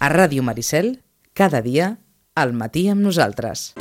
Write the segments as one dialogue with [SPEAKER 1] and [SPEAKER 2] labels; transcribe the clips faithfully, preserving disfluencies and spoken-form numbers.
[SPEAKER 1] A Ràdio Maricel, cada dia, al matí amb nosaltres.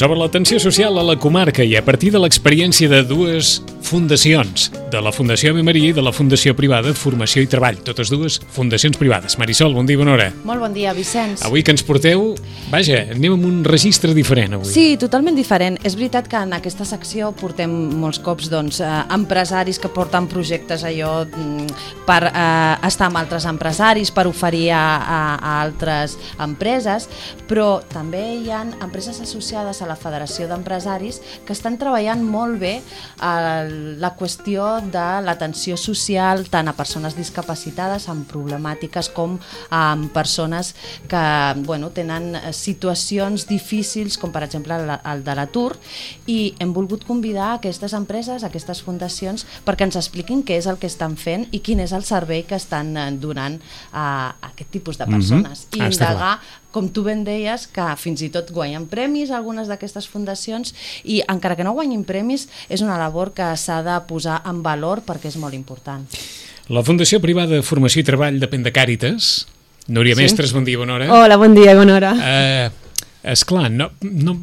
[SPEAKER 2] Sobre l'atenció social a la comarca i a partir de l'experiència de dues fundacions, de la Fundació Ave Maria i de la Fundació Privada Formació i Treball, totes dues fundacions privades. Marisol, bon dia, bona hora.
[SPEAKER 3] Molt bon dia, Vicenç.
[SPEAKER 2] Avui que ens porteu, vaja, anem amb un registre diferent avui.
[SPEAKER 3] Sí, totalment diferent. És veritat que en aquesta secció portem molts cops doncs, eh, empresaris que porten projectes allò per eh, estar amb altres empresaris, per oferir a, a, a altres empreses, però també hi ha empreses associades a la Federació d'Empresaris que estan treballant molt bé a la qüestió de l'atenció social tant a persones discapacitades amb problemàtiques com a persones que bueno, tenen situacions difícils com per exemple el de l'atur, i hem volgut convidar aquestes empreses, aquestes fundacions, perquè ens expliquin què és el que estan fent i quin és el servei que estan donant a aquest tipus de persones.
[SPEAKER 2] Mm-hmm.
[SPEAKER 3] I indagar, com tu ben deies, que fins i tot guanyen premis algunes d'aquestes fundacions, i encara que no guanyin premis és una labor que s'ha de posar en valor perquè és molt important.
[SPEAKER 2] La Fundació Privada de Formació i Treball depèn de Càritas. Núria sí. Mestres, bon dia, bona hora.
[SPEAKER 4] Hola, bon dia, bona hora.
[SPEAKER 2] Uh, esclar, no, no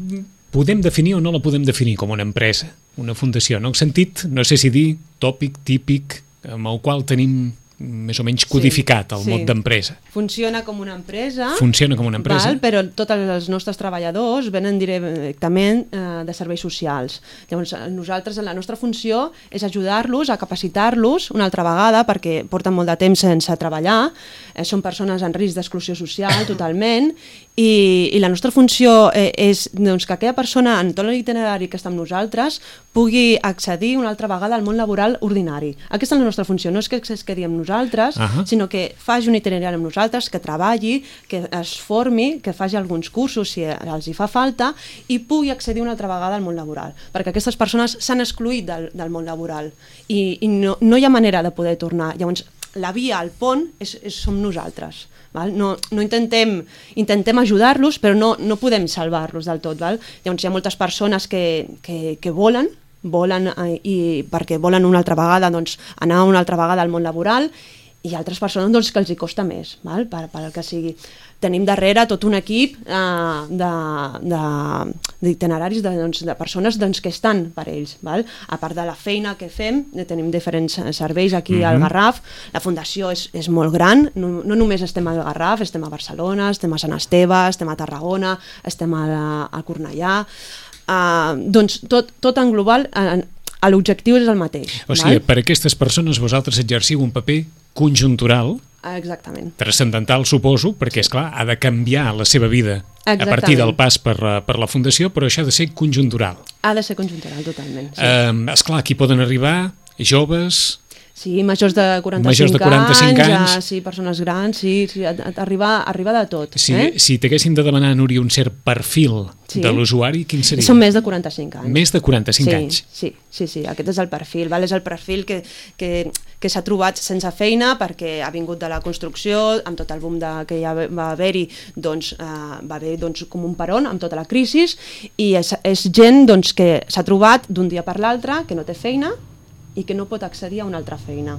[SPEAKER 2] podem definir o no la podem definir com una empresa, una fundació. No he sentit, no sé si dir, tòpic, típic, amb el qual tenim més o menys codificat el sí, mot sí. d'empresa.
[SPEAKER 4] Funciona com una empresa.
[SPEAKER 2] Funciona com una empresa.
[SPEAKER 4] Val, però tots els nostres treballadors venen directament eh, de serveis socials. Llavors, nosaltres, la nostra funció és ajudar-los a capacitar-los una altra vegada, perquè porten molt de temps sense treballar, eh, són persones en risc d'exclusió social totalment, i, i la nostra funció eh, és doncs, que aquella persona en tot l'itinerari que està amb nosaltres pugui accedir una altra vegada al món laboral ordinari. Aquesta és la nostra funció, no és que es quedi amb nosaltres, uh-huh. sinó que faci un itinerari amb nosaltres, que treballi, que es formi, que faci alguns cursos si els hi fa falta i pugui accedir una altra vegada al món laboral, perquè aquestes persones s'han excluït del, del món laboral i, i no, no hi ha manera de poder tornar. Llavors, la via, el pont, és, és, som nosaltres. Val? No, no intentem, intentem ajudar-los, però no, no podem salvar-los del tot. Val? Llavors, hi ha moltes persones que, que, que volen, volen eh, i perquè volen una altra vegada doncs, anar una altra vegada al món laboral, i altres persones doncs, que els hi costa més, val? Per, per el que sigui. Tenim darrere tot un equip eh, d'itineraris de, de, doncs, de persones doncs, que estan per ells. Val? A part de la feina que fem, tenim diferents serveis aquí mm-hmm. al Garraf. La fundació és, és molt gran, no, no només estem al Garraf, estem a Barcelona, estem a Sant Esteve, estem a Tarragona, estem a, a Cornellà. Uh, doncs tot, tot en global, uh, l'objectiu és el mateix.
[SPEAKER 2] O sigui, val? Per aquestes persones vosaltres exerciu un paper conjuntural,
[SPEAKER 4] exactament,
[SPEAKER 2] transcendental, suposo, perquè, esclar, ha de canviar la seva vida exactament. A partir del pas per, per la fundació, però això ha de ser conjuntural.
[SPEAKER 4] Ha de ser conjuntural, totalment. Sí.
[SPEAKER 2] Uh, esclar, aquí poden arribar joves...
[SPEAKER 4] Sí, majors de quaranta-cinc,
[SPEAKER 2] majors de quaranta-cinc anys, anys.
[SPEAKER 4] Ja, sí, persones grans, sí, sí arriba, arriba de tot.
[SPEAKER 2] Si,
[SPEAKER 4] eh?
[SPEAKER 2] si t'haguéssim de demanar, Núria, un cert perfil sí. de l'usuari, quin seria?
[SPEAKER 4] Són més de quaranta-cinc anys.
[SPEAKER 2] Més de quaranta-cinc
[SPEAKER 4] sí,
[SPEAKER 2] anys.
[SPEAKER 4] Sí, sí, sí, aquest és el perfil. Val? És el perfil que, que, que s'ha trobat sense feina perquè ha vingut de la construcció, amb tot el boom de, que ja va haver-hi, doncs, eh, va haver doncs, com un peron amb tota la crisi, i és, és gent doncs, que s'ha trobat d'un dia per l'altre, que no té feina, i que no pot accedir a una altra feina,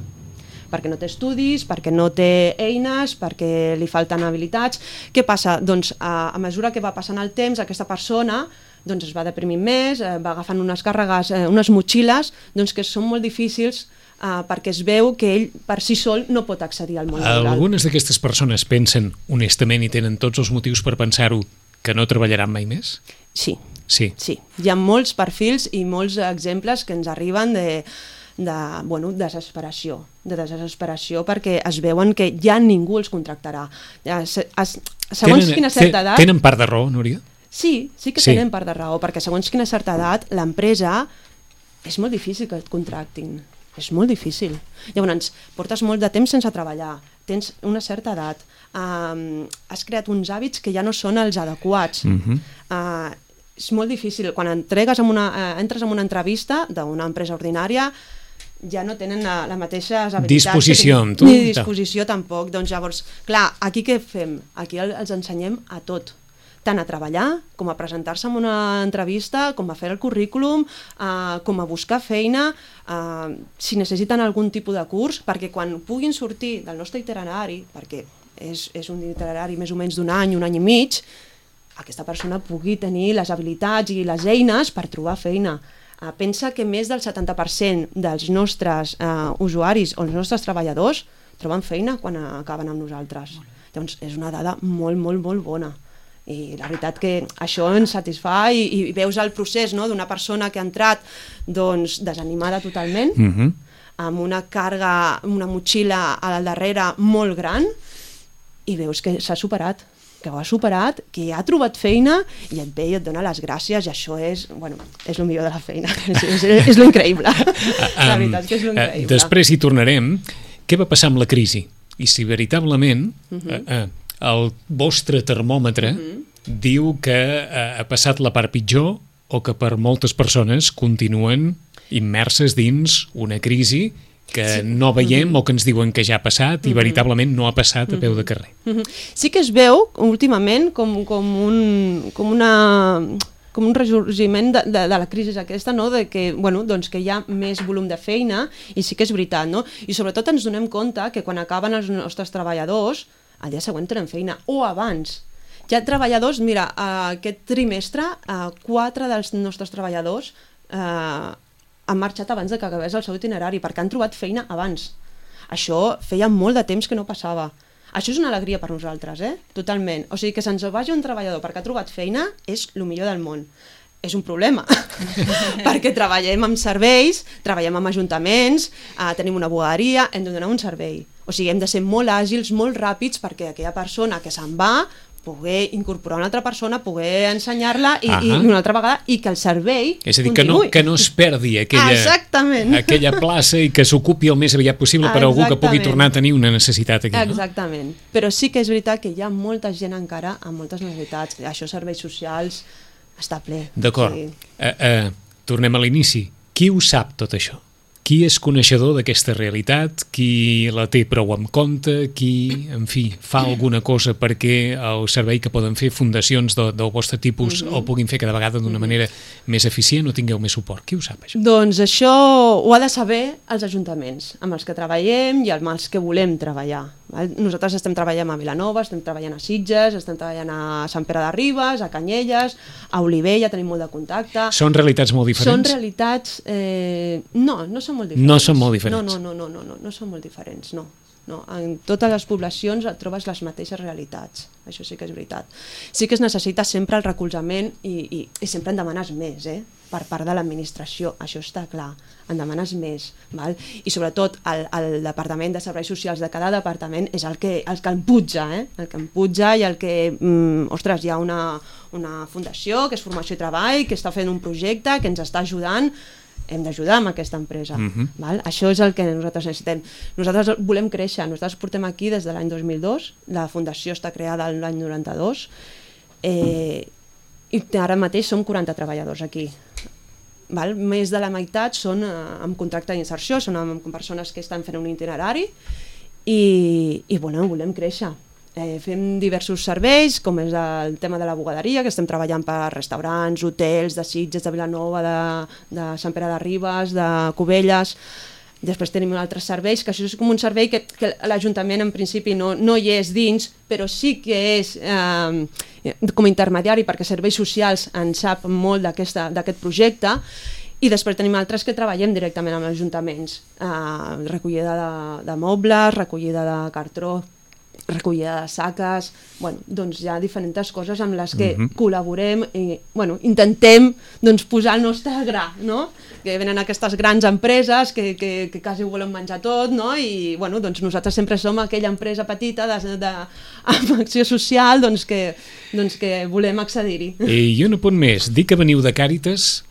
[SPEAKER 4] perquè no té estudis, perquè no té eines, perquè li falten habilitats. Què passa? Doncs a, a mesura que va passant el temps, aquesta persona doncs, es va deprimint més, eh, va agafant unes càrregues, eh, unes motxilles doncs, que són molt difícils eh, perquè es veu que ell per si sol no pot accedir al món laboral.
[SPEAKER 2] Algunes d'aquestes persones pensen honestament i tenen tots els motius per pensar-ho que no treballaran mai més?
[SPEAKER 4] Sí,
[SPEAKER 2] Sí.
[SPEAKER 4] Sí, hi ha molts perfils i molts exemples que ens arriben de, de bueno, desesperació, de desesperació perquè es veuen que ja ningú els contractarà. Ja, se, es, segons
[SPEAKER 2] tenen,
[SPEAKER 4] quina certa edat...
[SPEAKER 2] Tenen part de raó, Núria?
[SPEAKER 4] Sí, sí que
[SPEAKER 2] sí.
[SPEAKER 4] tenen part de raó, perquè segons quina certa edat l'empresa és molt difícil que et contractin. És molt difícil. Llavors, portes molt de temps sense treballar, tens una certa edat, um, has creat uns hàbits que ja no són els adequats.
[SPEAKER 2] Uh-huh.
[SPEAKER 4] Uh, és molt difícil. Quan entregues en una, uh, entres en una entrevista d'una empresa ordinària, ja no tenen la, la mateixa habilitats.
[SPEAKER 2] Disposició amb tu.
[SPEAKER 4] Ni disposició tampoc. Doncs llavors, clar, aquí què fem? Aquí els ensenyem a tot. Tant a treballar, com a presentar-se en una entrevista, com a fer el currículum, eh, com a buscar feina, eh, si necessiten algun tipus de curs, perquè quan puguin sortir del nostre itinerari, perquè és, és un itinerari més o menys d'un any, un any i mig, aquesta persona pugui tenir les habilitats i les eines per trobar feina. Eh, pensa que més del setanta per cent dels nostres eh, usuaris o els nostres treballadors troben feina quan acaben amb nosaltres. Llavors, és una dada molt, molt, molt bona. I la veritat que això ens satisfà i, i veus el procés, no?, d'una persona que ha entrat doncs, desanimada totalment,
[SPEAKER 2] uh-huh.
[SPEAKER 4] amb una càrrega, una motxilla al darrere molt gran, i veus que s'ha superat, que ho ha superat, que ha trobat feina i et ve i et dona les gràcies, i això és, bueno, és el millor de la feina, és, és, és lo increïble. La veritat que és lo increïble.
[SPEAKER 2] Després hi tornarem. Què va passar amb la crisi? I si veritablement uh-huh. eh, eh, el vostre termòmetre uh-huh. diu que eh, ha passat la part pitjor o que per moltes persones continuen immerses dins una crisi que sí. no veiem uh-huh. o que ens diuen que ja ha passat i uh-huh. veritablement no ha passat a peu de carrer.
[SPEAKER 4] Uh-huh. Sí que es veu últimament com, com, un, com una... com un ressorgiment de, de, de la crisi aquesta, no? De que, bueno, doncs que hi ha més volum de feina, i sí que és veritat, no? I sobretot ens donem compte que quan acaben els nostres treballadors, al dia següent tenen feina, o abans. Hi ha treballadors, mira, aquest trimestre, quatre dels nostres treballadors eh, han marxat abans de que acabés el seu itinerari, perquè han trobat feina abans. Això feia molt de temps que no passava. Això és una alegria per nosaltres, eh? Totalment. O sigui, que se'ns vagi un treballador perquè ha trobat feina és el millor del món. És un problema, perquè treballem amb serveis, treballem amb ajuntaments, eh, tenim una bugaderia, hem de donar un servei. O sigui, hem de ser molt àgils, molt ràpids, perquè aquella persona que se'n va poder incorporar una altra persona, poder ensenyar-la i, i una altra vegada, i que el servei
[SPEAKER 2] és a dir, que no, que no es perdi aquella, aquella plaça i que s'ocupi el més aviat possible per algú que pugui tornar a tenir una necessitat aquí.
[SPEAKER 4] Exactament. No? Però sí que és veritat que hi ha molta gent encara amb moltes necessitats. Això, serveis socials, està ple.
[SPEAKER 2] D'acord. Sí. Uh, uh, tornem a l'inici. Qui ho sap tot això? Qui és coneixedor d'aquesta realitat? Qui la té prou en compte? Qui, en fi, fa alguna cosa perquè el servei que poden fer fundacions de, del vostre tipus mm-hmm. el puguin fer cada vegada d'una manera més eficient o tingueu més suport? Qui ho sap, això?
[SPEAKER 4] Doncs això ho ha de saber els ajuntaments amb els que treballem i amb els que volem treballar. Val? Nosaltres estem treballant a Vilanova, estem treballant a Sitges, estem treballant a Sant Pere de Ribes, a Canyelles, a Olivella, tenim molt de contacte.
[SPEAKER 2] Són realitats molt diferents?
[SPEAKER 4] Són realitats... Eh, no, no són molt diferents.
[SPEAKER 2] No són molt diferents?
[SPEAKER 4] No, no, no, no, no, no són molt diferents, no. No, en totes les poblacions et trobes les mateixes realitats, això sí que és veritat. Sí que es necessita sempre el recolzament i, i, i sempre en demanes més, eh? Per part de l'administració, això està clar, en demanes més. Val? I sobretot el, el Departament de Serveis Socials de cada departament és el que, el que empuja, eh? el que empuja i el que, mm, ostres, hi ha una, una fundació que és Formació i Treball, que està fent un projecte, que ens està ajudant, hem d'ajudar amb aquesta empresa. Uh-huh. Val? Això és el que nosaltres necessitem. Nosaltres volem créixer, nosaltres portem aquí des de l'any dos mil dos, la fundació està creada l'any noranta-dos, eh, i ara mateix som quaranta treballadors aquí. Val? Més de la meitat són eh, amb contracte d'inserció, són amb persones que estan fent un itinerari i, i bueno, volem créixer. Eh, fem diversos serveis, com és el tema de la bugaderia, que estem treballant per restaurants, hotels, de Sitges, de Vilanova, de, de Sant Pere de Ribes, de Cubelles. Després tenim altres serveis, que això és com un servei que, que l'Ajuntament en principi no, no hi és dins, però sí que és eh, com a intermediari, perquè Serveis Socials en sap molt d'aquest projecte. I després tenim altres que treballem directament amb els ajuntaments, eh, recollida de, de mobles, recollida de cartró, recollida de saques, bueno, doncs hi ha diferents coses amb les que
[SPEAKER 2] Mhm.
[SPEAKER 4] col·laborem i bueno, intentem doncs, posar el nostre gra, no? Que venen aquestes grans empreses que, que, que quasi ho volen menjar tot, no? I bueno, doncs nosaltres sempre som aquella empresa petita de, de, amb acció social doncs que, doncs que volem accedir-hi.
[SPEAKER 2] I un apunt més, dir que veniu de Càritas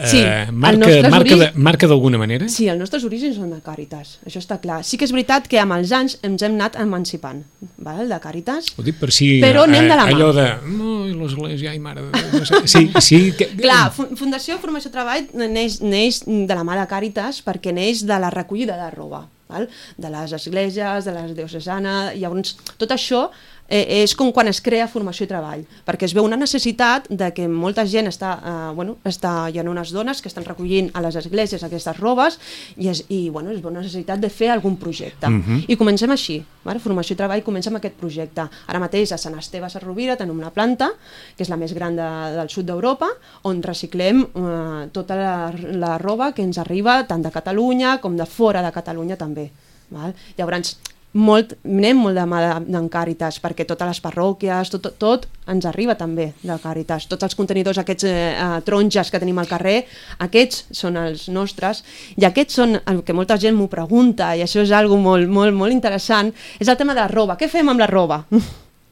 [SPEAKER 4] Sí,
[SPEAKER 2] eh,
[SPEAKER 4] el
[SPEAKER 2] marca,
[SPEAKER 4] nostre
[SPEAKER 2] marca,
[SPEAKER 4] ori-
[SPEAKER 2] de, marca d'alguna manera?
[SPEAKER 4] Sí, els nostres orígens són de Càritas, això està clar. Sí que és veritat que amb els anys ens hem anat emancipant, val? De Càritas.
[SPEAKER 2] Ho dic per si...
[SPEAKER 4] Però anem de la mà.
[SPEAKER 2] Allò de... No, i l'església, ai, mare... de Déu, no sé. Sí, sí... Que...
[SPEAKER 4] Clar, Fu- Fundació Formació Treball neix, neix de la mà de Càritas perquè neix de la recollida de roba, val? De les esglésies, de les diocesanes, llavors tot això eh, és com quan es crea Formació i Treball, perquè es veu una necessitat de que molta gent està, eh, bueno, està, hi ha unes dones que estan recollint a les esglésies aquestes robes i, és, i bueno, es veu una necessitat de fer algun projecte.
[SPEAKER 2] Mhm.
[SPEAKER 4] I comencem així, val? Formació i Treball comença amb aquest projecte. Ara mateix a Sant Esteve a Rovira tenim una planta, que és la més gran de, del sud d'Europa, on reciclem eh, tota la, la roba que ens arriba tant de Catalunya com de fora de Catalunya també. Val? Llavors, molt, anem molt de mà de- d'en Càritas, perquè totes les parròquies, tot, tot, tot ens arriba també de Càritas. Tots els contenidors, aquests eh, eh, taronges que tenim al carrer, aquests són els nostres, i aquests són el que molta gent m'ho pregunta, i això és algo molt, molt, molt interessant, és el tema de la roba. Què fem amb la roba?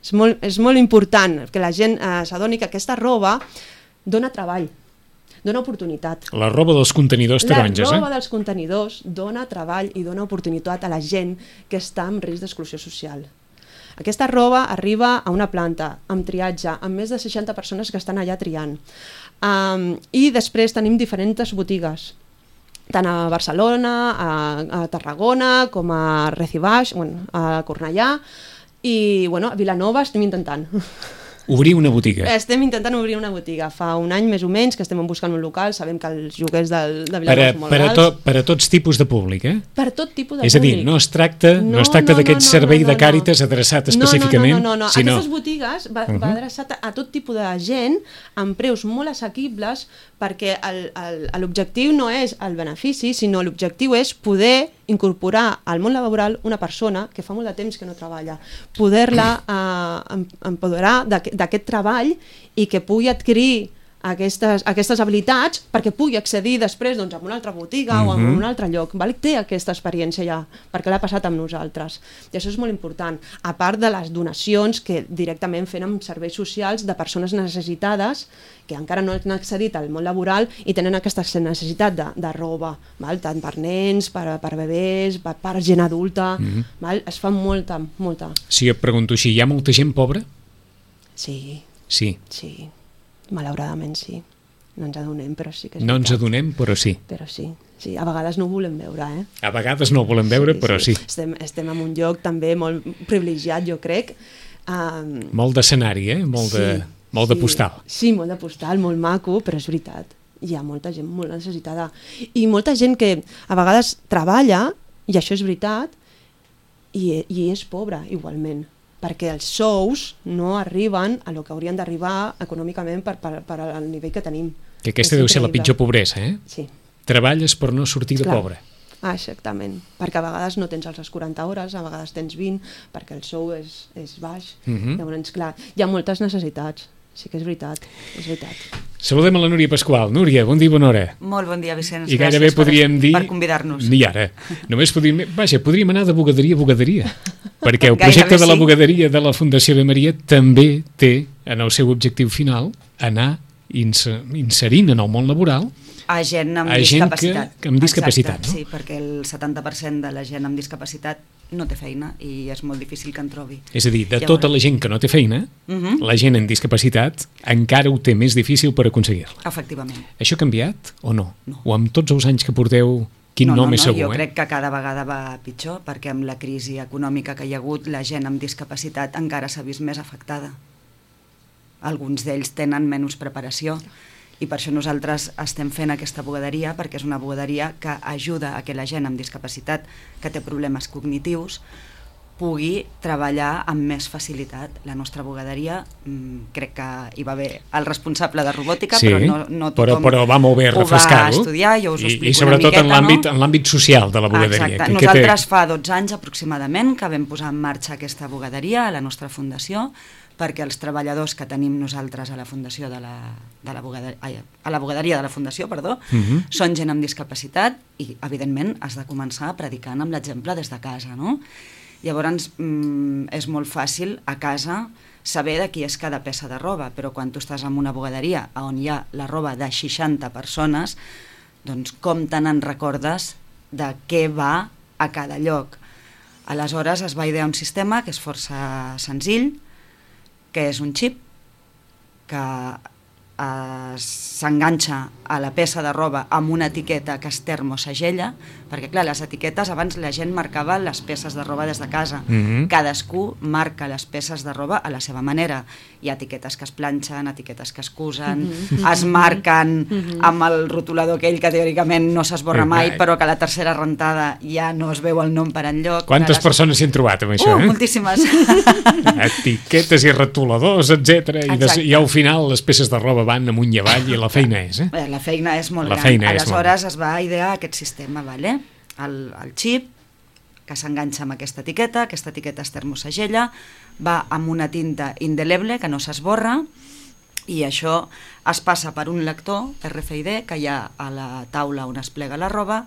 [SPEAKER 4] és, molt, és molt important que la gent eh, s'adoni que aquesta roba dona treball, dona oportunitat.
[SPEAKER 2] La roba dels contenidors taronges,
[SPEAKER 4] La roba
[SPEAKER 2] eh?
[SPEAKER 4] dels contenidors dona treball i dona oportunitat a la gent que està en risc d'exclusió social. Aquesta roba arriba a una planta, amb triatge, amb més de seixanta persones que estan allà triant. Um, I després tenim diferents botigues, tant a Barcelona, a, a Tarragona, com a Recibaix, bueno, a Cornellà, i bueno, a Vilanova estem intentant.
[SPEAKER 2] Obrir una botiga.
[SPEAKER 4] Estem intentant obrir una botiga. Fa un any més o menys que estem buscant un local, sabem que els lloguers del, de
[SPEAKER 2] Per
[SPEAKER 4] Vilanova
[SPEAKER 2] a,
[SPEAKER 4] són molt
[SPEAKER 2] per, a
[SPEAKER 4] alts.
[SPEAKER 2] to, per a tots tipus de públic, eh?
[SPEAKER 4] Per tot tipus de
[SPEAKER 2] És a dir,
[SPEAKER 4] públic.
[SPEAKER 2] no es tracta, no, es tracta d'aquest servei de Càritas adreçat específicament,
[SPEAKER 4] no, no, no, no.
[SPEAKER 2] sinó...
[SPEAKER 4] Aquestes botigues va,
[SPEAKER 2] Mhm.
[SPEAKER 4] va adreçat a, a tot tipus de gent amb preus molt assequibles, perquè el- el- l'objectiu no és el benefici, sinó l'objectiu és poder incorporar al món laboral una persona que fa molt de temps que no treballa, poder-la eh, em- empoderar d'aqu- d'aquest treball i que pugui adquirir aquestes, aquestes habilitats perquè pugui accedir després doncs, a una altra botiga mm -hmm. o a
[SPEAKER 2] Mhm.
[SPEAKER 4] un altre lloc. Val? Té aquesta experiència ja, perquè l'ha passat amb nosaltres. I això és molt important. A part de les donacions que directament fem amb serveis socials de persones necessitades que encara no han accedit al món laboral i tenen aquesta necessitat de, de roba, val? Tant per nens, per, per bebès, per, per gent adulta.
[SPEAKER 2] Mhm.
[SPEAKER 4] Val? Es fa molta, molta.
[SPEAKER 2] Si et pregunto així, hi ha molta gent pobra?
[SPEAKER 4] Sí,
[SPEAKER 2] Sí.
[SPEAKER 4] sí. Malauradament sí. No ens adonem, però sí que és
[SPEAKER 2] No ens
[SPEAKER 4] veritat.
[SPEAKER 2] adonem, però sí.
[SPEAKER 4] Però sí, sí, a vegades no ho volem veure, eh?
[SPEAKER 2] A vegades no ho volem veure, però sí.
[SPEAKER 4] Estem, estem en un lloc també molt privilegiat, jo crec. Um,
[SPEAKER 2] Molt d'escenari, eh? Molt de, molt de postal.
[SPEAKER 4] Sí, molt de postal, molt maco, però és veritat. Hi ha molta gent molt necessitada. I molta gent que a vegades treballa, i això és veritat, i, i és pobra igualment, perquè els sous no arriben a lo que haurien d'arribar econòmicament per, per, per al nivell que tenim.
[SPEAKER 2] Que aquesta
[SPEAKER 4] És
[SPEAKER 2] deu ser la
[SPEAKER 4] increïble.
[SPEAKER 2] pitjor pobresa, eh?
[SPEAKER 4] Sí.
[SPEAKER 2] Treballes per no sortir de
[SPEAKER 4] Clar.
[SPEAKER 2] pobre.
[SPEAKER 4] Ah, exactament, perquè a vegades no tens les quaranta hores, a vegades tens vint, perquè el sou és, és baix.
[SPEAKER 2] Mhm.
[SPEAKER 4] Llavors, clar, hi ha moltes necessitats, sí que és veritat, és veritat.
[SPEAKER 2] Saludem a la Núria Pasqual. Núria, bon dia i bona hora.
[SPEAKER 5] Molt bon dia, Vicenç.
[SPEAKER 2] I gairebé
[SPEAKER 5] Gràcies per-
[SPEAKER 2] podríem dir...
[SPEAKER 5] per convidar-nos.
[SPEAKER 2] Ni ara. Només podríem... Vaja, podríem anar de bugaderia a bugaderia. Perquè el
[SPEAKER 5] Gairebé
[SPEAKER 2] projecte de la
[SPEAKER 5] sí.
[SPEAKER 2] bugaderia de la Fundació de Maria també té en el seu objectiu final anar inser- inserint en el món laboral
[SPEAKER 5] A gent amb
[SPEAKER 2] A gent que-
[SPEAKER 5] discapacitat.
[SPEAKER 2] que amb discapacitat,
[SPEAKER 5] Exacte,
[SPEAKER 2] no?
[SPEAKER 5] sí, perquè el setanta per cent de la gent amb discapacitat no té feina i és molt difícil que en trobi.
[SPEAKER 2] És a dir, de
[SPEAKER 5] Llavors-
[SPEAKER 2] tota la gent que no té feina,
[SPEAKER 5] Mhm.
[SPEAKER 2] la gent amb discapacitat encara ho té més difícil per aconseguir-la.
[SPEAKER 5] Efectivament.
[SPEAKER 2] Això ha canviat o no?
[SPEAKER 5] No.
[SPEAKER 2] O amb tots els anys que porteu, quin
[SPEAKER 5] no,
[SPEAKER 2] nom
[SPEAKER 5] no,
[SPEAKER 2] és
[SPEAKER 5] no,
[SPEAKER 2] segur,
[SPEAKER 5] jo
[SPEAKER 2] eh?
[SPEAKER 5] crec que cada vegada va pitjor perquè amb la crisi econòmica que hi ha hagut la gent amb discapacitat encara s'ha vist més afectada. Alguns d'ells tenen menys preparació i per això nosaltres estem fent aquesta bugaderia, perquè és una bugaderia que ajuda a que la gent amb discapacitat que té problemes cognitius pugui treballar amb més facilitat. La nostra bugaderia, mmm, crec que hi va haver el responsable de robòtica,
[SPEAKER 2] sí,
[SPEAKER 5] però no, no tothom
[SPEAKER 2] però, però va molt bé refrescar-ho.
[SPEAKER 5] Ho va estudiar, jo us ho explico
[SPEAKER 2] I, i sobretot
[SPEAKER 5] una miqueta,
[SPEAKER 2] en l'àmbit,
[SPEAKER 5] no?
[SPEAKER 2] en l'àmbit social de la bugaderia.
[SPEAKER 5] Exacte.
[SPEAKER 2] Que,
[SPEAKER 5] Nosaltres
[SPEAKER 2] que té...
[SPEAKER 5] fa dotze anys aproximadament que vam posar en marxa aquesta bugaderia a la nostra fundació, perquè els treballadors que tenim nosaltres a la fundació de la, de la bugaderia, ai, a la bugaderia de la fundació, perdó, uh -huh. són gent amb discapacitat i, evidentment, has de començar predicant amb l'exemple des de casa, no? Llavors, mm, és molt fàcil a casa saber de qui és cada peça de roba, però quan tu estàs en una bugaderia on hi ha la roba de seixanta persones, doncs com te n'en recordes de què va a cada lloc? Aleshores es va idear un sistema que és força senzill, que és un xip que eh, s'enganxa a la peça de roba amb una etiqueta que es termosegella, perquè clar, les etiquetes abans la gent marcava les peces de roba des de casa, mm-hmm. cadascú marca les peces de roba a la seva manera, hi ha etiquetes que es planxen, etiquetes que es cusen, mm-hmm. es marquen mm-hmm. amb el rotulador aquell que teòricament no s'esborra mai, però que a la tercera rentada ja no es veu el nom per enlloc.
[SPEAKER 2] Quantes
[SPEAKER 5] les...
[SPEAKER 2] persones s'hi han trobat amb això?
[SPEAKER 5] Uh,
[SPEAKER 2] eh?
[SPEAKER 5] moltíssimes.
[SPEAKER 2] Etiquetes i rotuladors, etcètera. I, des... I al final les peces de roba van amunt i avall i la feina és, eh?
[SPEAKER 5] La feina és molt
[SPEAKER 2] la
[SPEAKER 5] gran.
[SPEAKER 2] Feina
[SPEAKER 5] Aleshores
[SPEAKER 2] és molt...
[SPEAKER 5] es va idear aquest sistema, vale? el, el xip que s'enganxa amb aquesta etiqueta, aquesta etiqueta es termosegella, va amb una tinta indeleble que no s'esborra i això es passa per un lector R F I D que hi ha a la taula on es plega la roba.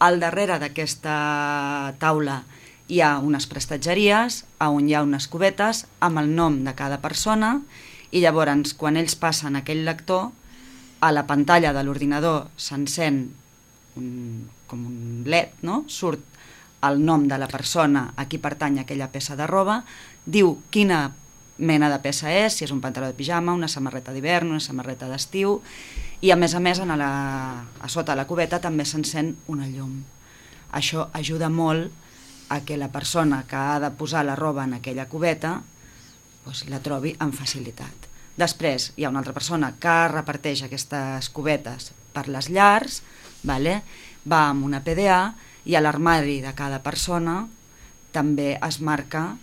[SPEAKER 5] Al darrere d'aquesta taula hi ha unes prestatgeries on hi ha unes cubetes amb el nom de cada persona i llavors quan ells passen aquell lector, a la pantalla de l'ordinador s'encén un, com un L E D, no? Surt el nom de la persona a qui pertany aquella peça de roba, diu quina mena de peça és, si és un pantaló de pijama, una samarreta d'hivern, una samarreta d'estiu, i a més a més a, la, a sota la cubeta també s'encén una llum. Això ajuda molt a que la persona que ha de posar la roba en aquella cubeta doncs, la trobi amb facilitat. Després hi ha una altra persona que reparteix aquestes cubetes per les llars, vale? Va amb una P D A i a l'armari de cada persona també es marca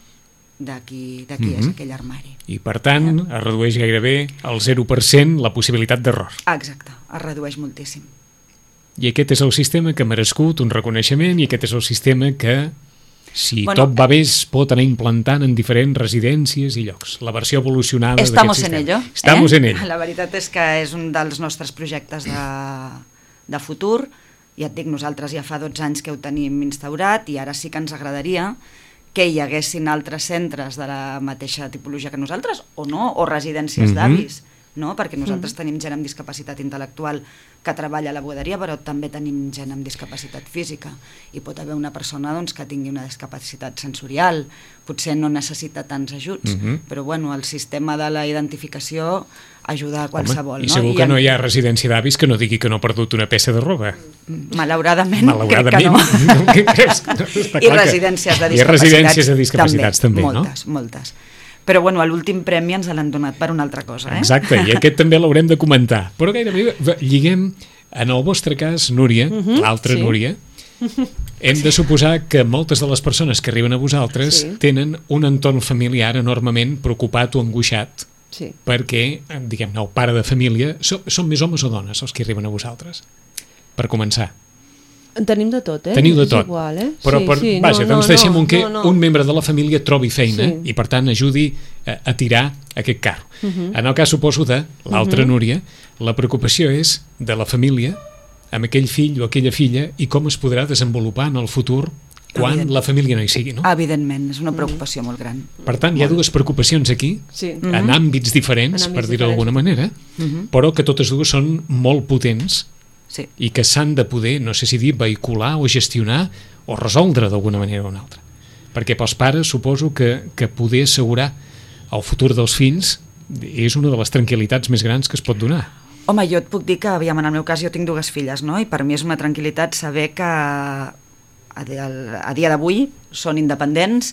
[SPEAKER 5] de qui, de qui mm-hmm. és aquell armari.
[SPEAKER 2] I per tant es redueix gairebé al zero per cent la possibilitat d'error.
[SPEAKER 5] Exacte, es redueix moltíssim.
[SPEAKER 2] I aquest és el sistema que ha merescut un reconeixement i aquest és el sistema que, si
[SPEAKER 5] bueno,
[SPEAKER 2] tot va bé, es pot anar implantant en diferents residències i llocs. La versió evolucionada d'aquest sistema.
[SPEAKER 5] Estamos en ello.
[SPEAKER 2] Estamos
[SPEAKER 5] eh?
[SPEAKER 2] en ello.
[SPEAKER 5] La veritat és que és un dels nostres projectes de, de futur. Ja et dic, nosaltres ja fa dotze anys que ho tenim instaurat i ara sí que ens agradaria que hi haguessin altres centres de la mateixa tipologia que nosaltres, o no, o residències mm-hmm. d'avis, no? Perquè nosaltres mm-hmm. tenim gent amb discapacitat intel·lectual que treballa a la bugaderia, però també tenim gent amb discapacitat física. I pot haver una persona doncs, que tingui una discapacitat sensorial, potser no necessita tants ajuts, mm-hmm. però bueno, el sistema de la identificació ajuda a qualsevol.
[SPEAKER 2] Home, i
[SPEAKER 5] no?
[SPEAKER 2] segur
[SPEAKER 5] I
[SPEAKER 2] que
[SPEAKER 5] en...
[SPEAKER 2] no hi ha residència d'avis que no digui que no ha perdut una peça de roba.
[SPEAKER 5] Malauradament,
[SPEAKER 2] Malauradament
[SPEAKER 5] crec que no.
[SPEAKER 2] Què creus? Està
[SPEAKER 5] I
[SPEAKER 2] clar
[SPEAKER 5] residències de
[SPEAKER 2] que...
[SPEAKER 5] discapacitats,
[SPEAKER 2] I residències de discapacitats també,
[SPEAKER 5] també,
[SPEAKER 2] no?
[SPEAKER 5] moltes, moltes. Però bueno, l'últim premi ens l'han donat per una altra cosa. Eh?
[SPEAKER 2] Exacte, i aquest també l'haurem de comentar. Però gairebé lliguem, en el vostre cas, Núria, uh-huh, l'altra sí. Núria, hem de suposar que moltes de les persones que arriben a vosaltres sí. tenen un entorn familiar enormement preocupat o angoixat
[SPEAKER 4] sí.
[SPEAKER 2] perquè, diguem-ne, el pare de família... Són, són més homes o dones els que arriben a vosaltres? Per començar.
[SPEAKER 4] Tenim de tot, eh?
[SPEAKER 2] Teniu de tot.
[SPEAKER 4] És igual, eh?
[SPEAKER 2] Però,
[SPEAKER 4] sí,
[SPEAKER 2] per,
[SPEAKER 4] sí,
[SPEAKER 2] vaja,
[SPEAKER 4] no,
[SPEAKER 2] doncs
[SPEAKER 4] no,
[SPEAKER 2] deixem
[SPEAKER 4] no,
[SPEAKER 2] un que
[SPEAKER 4] no, no.
[SPEAKER 2] un membre de la família trobi feina
[SPEAKER 4] sí.
[SPEAKER 2] i, per tant, ajudi a, a tirar aquest carro.
[SPEAKER 4] Uh-huh.
[SPEAKER 2] En el cas, suposo, de l'altra
[SPEAKER 4] uh-huh.
[SPEAKER 2] Núria, la preocupació és de la família amb aquell fill o aquella filla i com es podrà desenvolupar en el futur quan
[SPEAKER 5] Evident.
[SPEAKER 2] la família no hi sigui, no?
[SPEAKER 5] Evidentment, és una preocupació mm. molt gran.
[SPEAKER 2] Per tant, hi ha dues preocupacions aquí,
[SPEAKER 4] sí.
[SPEAKER 2] en
[SPEAKER 5] mm-hmm.
[SPEAKER 2] àmbits diferents,
[SPEAKER 4] en àmbits
[SPEAKER 2] per dir-ho d'alguna manera,
[SPEAKER 5] mm-hmm.
[SPEAKER 2] però que totes dues són molt potents
[SPEAKER 5] sí.
[SPEAKER 2] i que s'han de poder, no sé si dir, vehicular o gestionar o resoldre d'alguna manera o una altra. Perquè pels pares suposo que, que poder assegurar el futur dels fills és una de les tranquil·litats més grans que es pot donar.
[SPEAKER 5] Home, jo et puc dir que, aviam, en el meu cas jo tinc dues filles, no? I per mi és una tranquil·litat saber que a dia d'avui són independents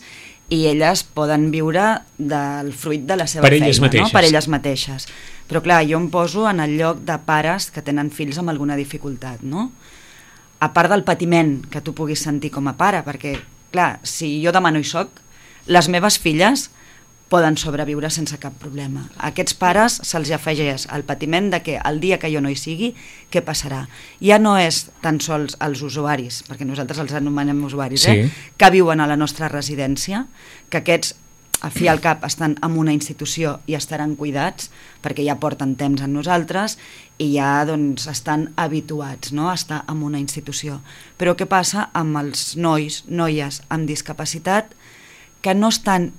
[SPEAKER 5] i elles poden viure del fruit de la seva
[SPEAKER 2] per
[SPEAKER 5] feina,
[SPEAKER 2] elles mateixes.
[SPEAKER 5] no? Per elles mateixes. Però clar, jo em poso en el lloc de pares que tenen fills amb alguna dificultat, no? A part del patiment que tu puguis sentir com a pare, perquè clar, si jo demà no hi soc, les meves filles poden sobreviure sense cap problema. A aquests pares se'ls afegeix el patiment de que el dia que jo no hi sigui, què passarà? Ja no és tan sols els usuaris, perquè nosaltres els anomenem usuaris,
[SPEAKER 2] sí.
[SPEAKER 5] eh? que viuen a la nostra residència, que aquests a fi al cap estan en una institució i estaran cuidats, perquè ja porten temps amb nosaltres i ja doncs, estan habituats, no?, a estar en una institució. Però què passa amb els nois, noies amb discapacitat que no estan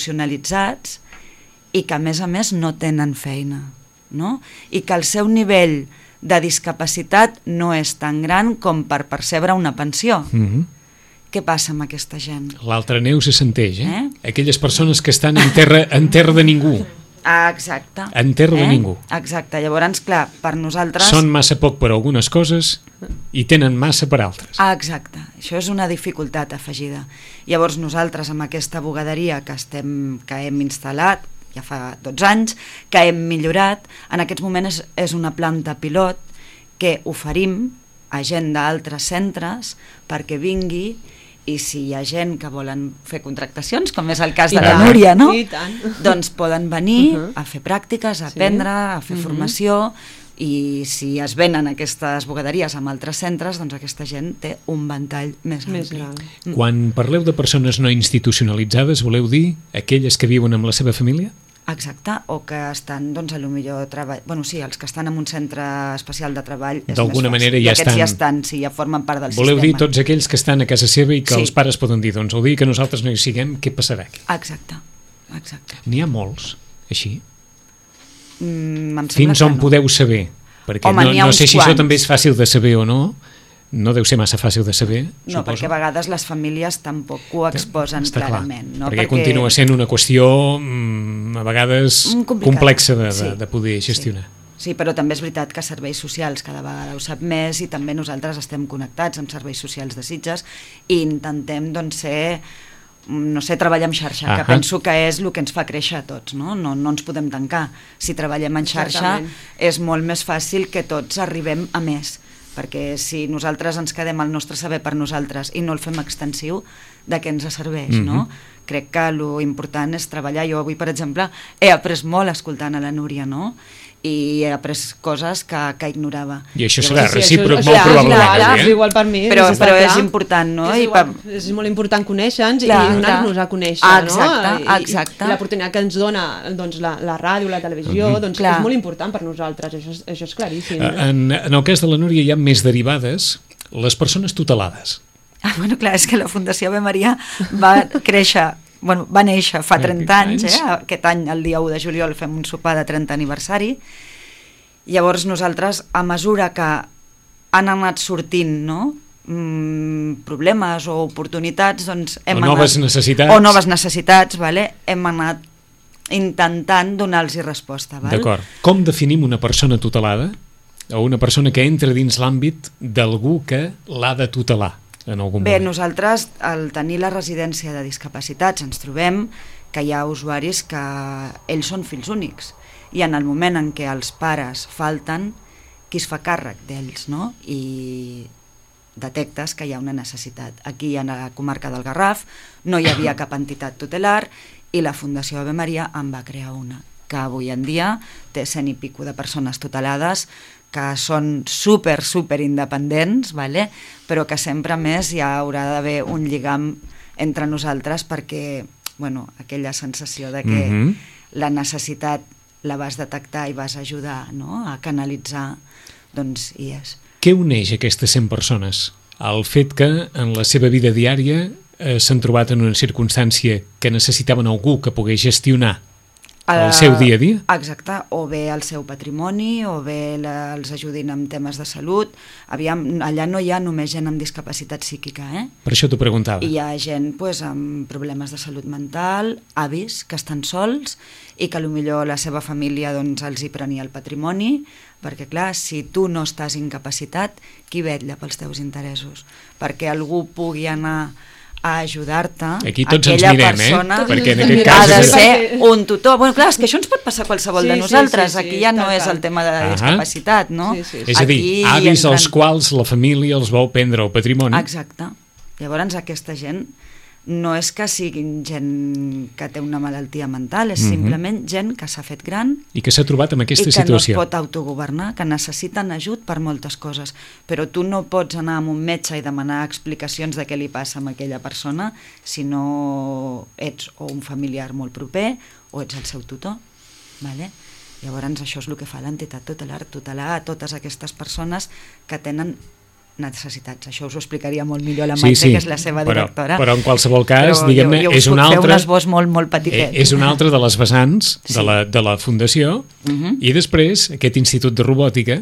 [SPEAKER 5] institucionalitzats i que a més a més no tenen feina, no? I que el seu nivell de discapacitat no és tan gran com per percebre una pensió.
[SPEAKER 2] Mm-hmm.
[SPEAKER 5] Què passa amb aquesta gent?
[SPEAKER 2] L'altra neu se senteix, eh?
[SPEAKER 5] Eh?
[SPEAKER 2] Aquelles persones que estan en terra, en terra de ningú.
[SPEAKER 5] Ah, exacte.
[SPEAKER 2] En terra eh? de ningú.
[SPEAKER 5] Exacte. Llavors, clar, per nosaltres...
[SPEAKER 2] Són massa poc per algunes coses i tenen massa per altres.
[SPEAKER 5] Ah, exacte. Això és una dificultat afegida. Llavors, nosaltres, amb aquesta bugaderia que, estem, que hem instal·lat, ja fa dotze anys, que hem millorat, en aquests moments és, és una planta pilot que oferim a gent d'altres centres perquè vingui i si hi ha gent que volen fer contractacions, com és el cas de la Núria, no? Doncs poden venir uh-huh. a fer pràctiques, a aprendre, a fer uh-huh. formació, i si es venen aquestes bugaderies amb altres centres, doncs aquesta gent té un ventall més ampli.
[SPEAKER 2] Mm. Quan parleu de persones no institucionalitzades, voleu dir aquelles que viuen amb la seva família?
[SPEAKER 5] Exacte, o que estan, doncs, a lo millor treball... Bueno, sí, els que estan en un centre especial de treball és
[SPEAKER 2] d'alguna
[SPEAKER 5] més
[SPEAKER 2] manera
[SPEAKER 5] fàcil.
[SPEAKER 2] ja
[SPEAKER 5] I aquests
[SPEAKER 2] estan...
[SPEAKER 5] ja estan, sí, ja formen part del
[SPEAKER 2] Voleu
[SPEAKER 5] sistema.
[SPEAKER 2] dir tots aquells que estan a casa seva i que
[SPEAKER 5] sí.
[SPEAKER 2] els pares poden dir, doncs el dia que nosaltres no hi siguem, què passarà aquí?
[SPEAKER 5] Exacte, exacte.
[SPEAKER 2] N'hi ha molts, així?
[SPEAKER 5] Mm,
[SPEAKER 2] Fins on
[SPEAKER 5] no.
[SPEAKER 2] podeu saber? Perquè
[SPEAKER 5] Home,
[SPEAKER 2] no, no sé si
[SPEAKER 5] quants.
[SPEAKER 2] això també és fàcil de saber o no. No deu ser massa fàcil de saber,
[SPEAKER 5] No,
[SPEAKER 2] suposo.
[SPEAKER 5] perquè a vegades les famílies tampoc ho exposen
[SPEAKER 2] Està
[SPEAKER 5] clarament.
[SPEAKER 2] Clar,
[SPEAKER 5] No?
[SPEAKER 2] perquè,
[SPEAKER 5] perquè
[SPEAKER 2] continua sent una qüestió mm, a vegades
[SPEAKER 5] complicada.
[SPEAKER 2] complexa de, de,
[SPEAKER 5] Sí.
[SPEAKER 2] de poder gestionar.
[SPEAKER 5] Sí. sí, però també és veritat que serveis socials cada vegada ho sap més i també nosaltres estem connectats amb serveis socials de Sitges i intentem doncs, ser, no sé, treballar en xarxa,
[SPEAKER 2] Ahà.
[SPEAKER 5] que penso que és el que ens fa créixer a tots, no? No, no ens podem tancar. Si treballem en xarxa
[SPEAKER 4] Exactament.
[SPEAKER 5] és molt més fàcil que tots arribem a més, perquè si nosaltres ens quedem el nostre saber per nosaltres i no el fem extensiu, de què ens serveix, mm-hmm. no? Crec que l'important és treballar. Jo avui, per exemple, he après molt escoltant a la Núria, no? I he après coses que, que ignorava.
[SPEAKER 2] I això
[SPEAKER 5] Llavors,
[SPEAKER 2] serà recíproc
[SPEAKER 4] això,
[SPEAKER 2] molt
[SPEAKER 4] clar,
[SPEAKER 2] probablement.
[SPEAKER 4] clar, clar,
[SPEAKER 2] eh?
[SPEAKER 4] és igual per mi.
[SPEAKER 5] Però,
[SPEAKER 4] està
[SPEAKER 5] però
[SPEAKER 4] clar.
[SPEAKER 5] és important, no?
[SPEAKER 4] És,
[SPEAKER 5] I
[SPEAKER 4] igual,
[SPEAKER 5] per...
[SPEAKER 4] és molt important conèixer-nos
[SPEAKER 5] Clar,
[SPEAKER 4] i donar-nos
[SPEAKER 5] clar.
[SPEAKER 4] a conèixer,
[SPEAKER 5] Ah, exacte,
[SPEAKER 4] no? I,
[SPEAKER 5] exacte.
[SPEAKER 4] I l'oportunitat que ens dona doncs, la, la ràdio, la televisió,
[SPEAKER 2] Mm-hmm.
[SPEAKER 4] doncs
[SPEAKER 5] Clar.
[SPEAKER 4] és molt important per nosaltres, això és, això és claríssim.
[SPEAKER 2] Eh, En, en el cas de la Núria hi ha més derivades, les persones tutelades.
[SPEAKER 5] Ah, bueno, clar, és que la Fundació Ave Maria va créixer, bueno, va néixer fa trenta anys, eh? Aquest any, el dia u de juliol, fem un sopar de trenta aniversari. Llavors nosaltres, a mesura que han anat sortint, no?, mm, problemes o oportunitats, doncs hem
[SPEAKER 2] O noves
[SPEAKER 5] anat,
[SPEAKER 2] necessitats.
[SPEAKER 5] o noves necessitats, vale? Hem anat intentant donar-los resposta. Val?
[SPEAKER 2] D'acord. Com definim una persona tutelada o una persona que entra dins l'àmbit d'algú que l'ha de tutelar en algun
[SPEAKER 5] Bé,
[SPEAKER 2] moment?
[SPEAKER 5] nosaltres, al tenir la residència de discapacitats, ens trobem que hi ha usuaris que ells són fills únics i en el moment en què els pares falten, qui es fa càrrec d'ells, no? I detectes que hi ha una necessitat. Aquí, a la comarca del Garraf, no hi havia cap entitat tutelar i la Fundació Ave Maria en va crear una, que avui en dia té cent i pico de persones tutelades que són super, super independents, vale? Però que sempre més hi haurà d'haver un lligam entre nosaltres perquè, bueno, aquella sensació de que
[SPEAKER 2] Mhm.
[SPEAKER 5] la necessitat la vas detectar i vas ajudar, no?, a canalitzar, doncs hi és.
[SPEAKER 2] Què uneix aquestes cent persones? El fet que en la seva vida diària eh, s'han trobat en una circumstància que necessitaven algú que pogués gestionar el seu dia a dia?
[SPEAKER 5] Exacte, o bé el seu patrimoni, o bé la, els ajudin amb temes de salut. Aviam, allà no hi ha només gent amb discapacitat psíquica, eh?
[SPEAKER 2] Per això t'ho preguntava.
[SPEAKER 5] I hi ha gent pues, amb problemes de salut mental, avis que estan sols i que potser la seva família doncs, els hi prenia el patrimoni, perquè clar, si tu no estàs incapacitat, qui vetlla pels teus interessos? Perquè algú pugui anar a ajudar-te,
[SPEAKER 2] Aquí tots ens
[SPEAKER 5] aquella
[SPEAKER 2] mirem,
[SPEAKER 5] persona
[SPEAKER 2] eh? Perquè en
[SPEAKER 5] ha
[SPEAKER 2] aquest cas...
[SPEAKER 5] de
[SPEAKER 2] és-
[SPEAKER 5] ser un tutor. Bueno, clar, és que això ens pot passar a qualsevol
[SPEAKER 4] Sí,
[SPEAKER 5] de
[SPEAKER 4] sí,
[SPEAKER 5] nosaltres.
[SPEAKER 4] sí, sí,
[SPEAKER 5] Aquí ja no
[SPEAKER 4] tal,
[SPEAKER 5] és
[SPEAKER 4] tal.
[SPEAKER 5] el tema de la
[SPEAKER 2] Ahà.
[SPEAKER 5] discapacitat, no?
[SPEAKER 4] Sí, sí, sí.
[SPEAKER 2] És a dir,
[SPEAKER 5] Aquí
[SPEAKER 2] avis
[SPEAKER 5] entren-
[SPEAKER 2] als quals la família els vol prendre el patrimoni.
[SPEAKER 5] Exacte. Llavors aquesta gent no és que siguin gent que té una malaltia mental, és mm-hmm. simplement gent que s'ha fet gran
[SPEAKER 2] i que s'ha trobat en aquesta
[SPEAKER 5] i que
[SPEAKER 2] situació.
[SPEAKER 5] no es pot autogovernar, que necessiten ajut per moltes coses, però tu no pots anar amb un metge i demanar explicacions de què li passa a aquella persona si no ets o un familiar molt proper o ets el seu tutor, vale? Llavors això és el que fa l'entitat tutelar, tutelar a totes aquestes persones que tenen necessitats. Això us ho explicaria molt millor la Maite, sí, sí, que és la seva directora.
[SPEAKER 2] Però, però en qualsevol cas, diguem-ne, és un altre...
[SPEAKER 5] un esbós molt, molt petitet.
[SPEAKER 2] És una altra de les vessants sí. de, la, de la Fundació, uh-huh. i després aquest Institut de Robòtica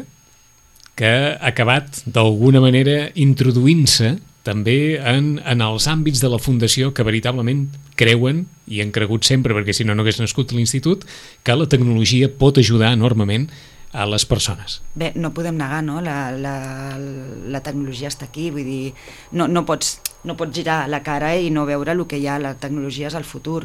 [SPEAKER 2] que ha acabat d'alguna manera introduint-se també en, en els àmbits de la Fundació que veritablement creuen, i han cregut sempre, perquè si no no hagués nascut l'Institut, que la tecnologia pot ajudar enormement a les persones.
[SPEAKER 5] Bé, no podem negar, no? La, la, la tecnologia està aquí, vull dir, no, no, pots, no pots girar la cara i no veure el que hi ha, la tecnologia és el futur.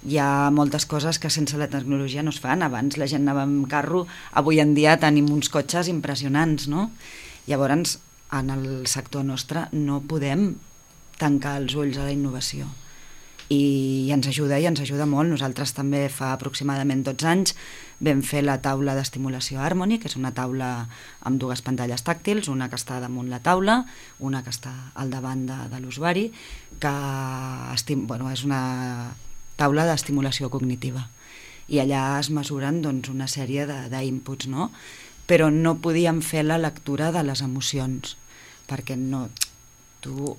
[SPEAKER 5] Hi ha moltes coses que sense la tecnologia no es fan. Abans la gent anava amb carro, avui en dia tenim uns cotxes impressionants, no? Llavors, en el sector nostre no podem tancar els ulls a la innovació. I ens ajuda, i ens ajuda molt. Nosaltres també fa aproximadament dotze anys vam fer la taula d'estimulació Harmony, que és una taula amb dues pantalles tàctils, una que està damunt la taula, una que està al davant de, de l'usuari, que estim, bueno, és una taula d'estimulació cognitiva. I allà es mesuren doncs, una sèrie d'inputs, no? Però no podíem fer la lectura de les emocions, perquè no, tu...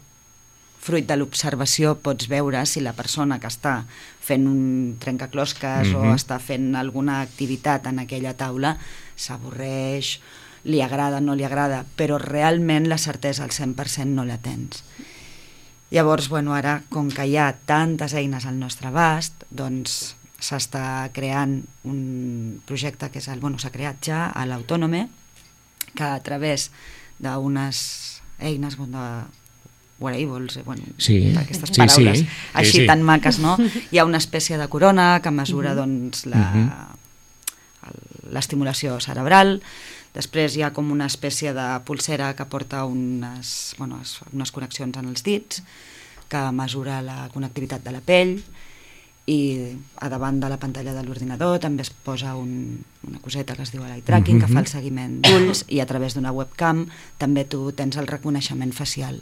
[SPEAKER 5] fruit de l'observació pots veure si la persona que està fent un trencaclosques mm-hmm. o està fent alguna activitat en aquella taula s'avorreix, li agrada, no li agrada, però realment la certesa al cent per cent no la tens. Llavors, bueno, ara, com que hi ha tantes eines al nostre abast, doncs s'està creant un projecte que és el, bueno, s'ha creat ja a l'Autònome, que a través d'unes eines, bueno, wearables, bueno,
[SPEAKER 2] sí,
[SPEAKER 5] aquestes paraules
[SPEAKER 2] sí, sí,
[SPEAKER 5] així
[SPEAKER 2] sí, sí.
[SPEAKER 5] tan maques, no? Hi ha una espècie de corona que mesura doncs, la, uh-huh. l'estimulació cerebral. Després hi ha com una espècie de pulsera que porta unes, bueno, unes connexions en els dits, que mesura la connectivitat de la pell, i a davant de la pantalla de l'ordinador també es posa un, una coseta que es diu l'eye tracking, uh-huh. que fa el seguiment d'ulls, i a través d'una webcam també tu tens el reconeixement facial.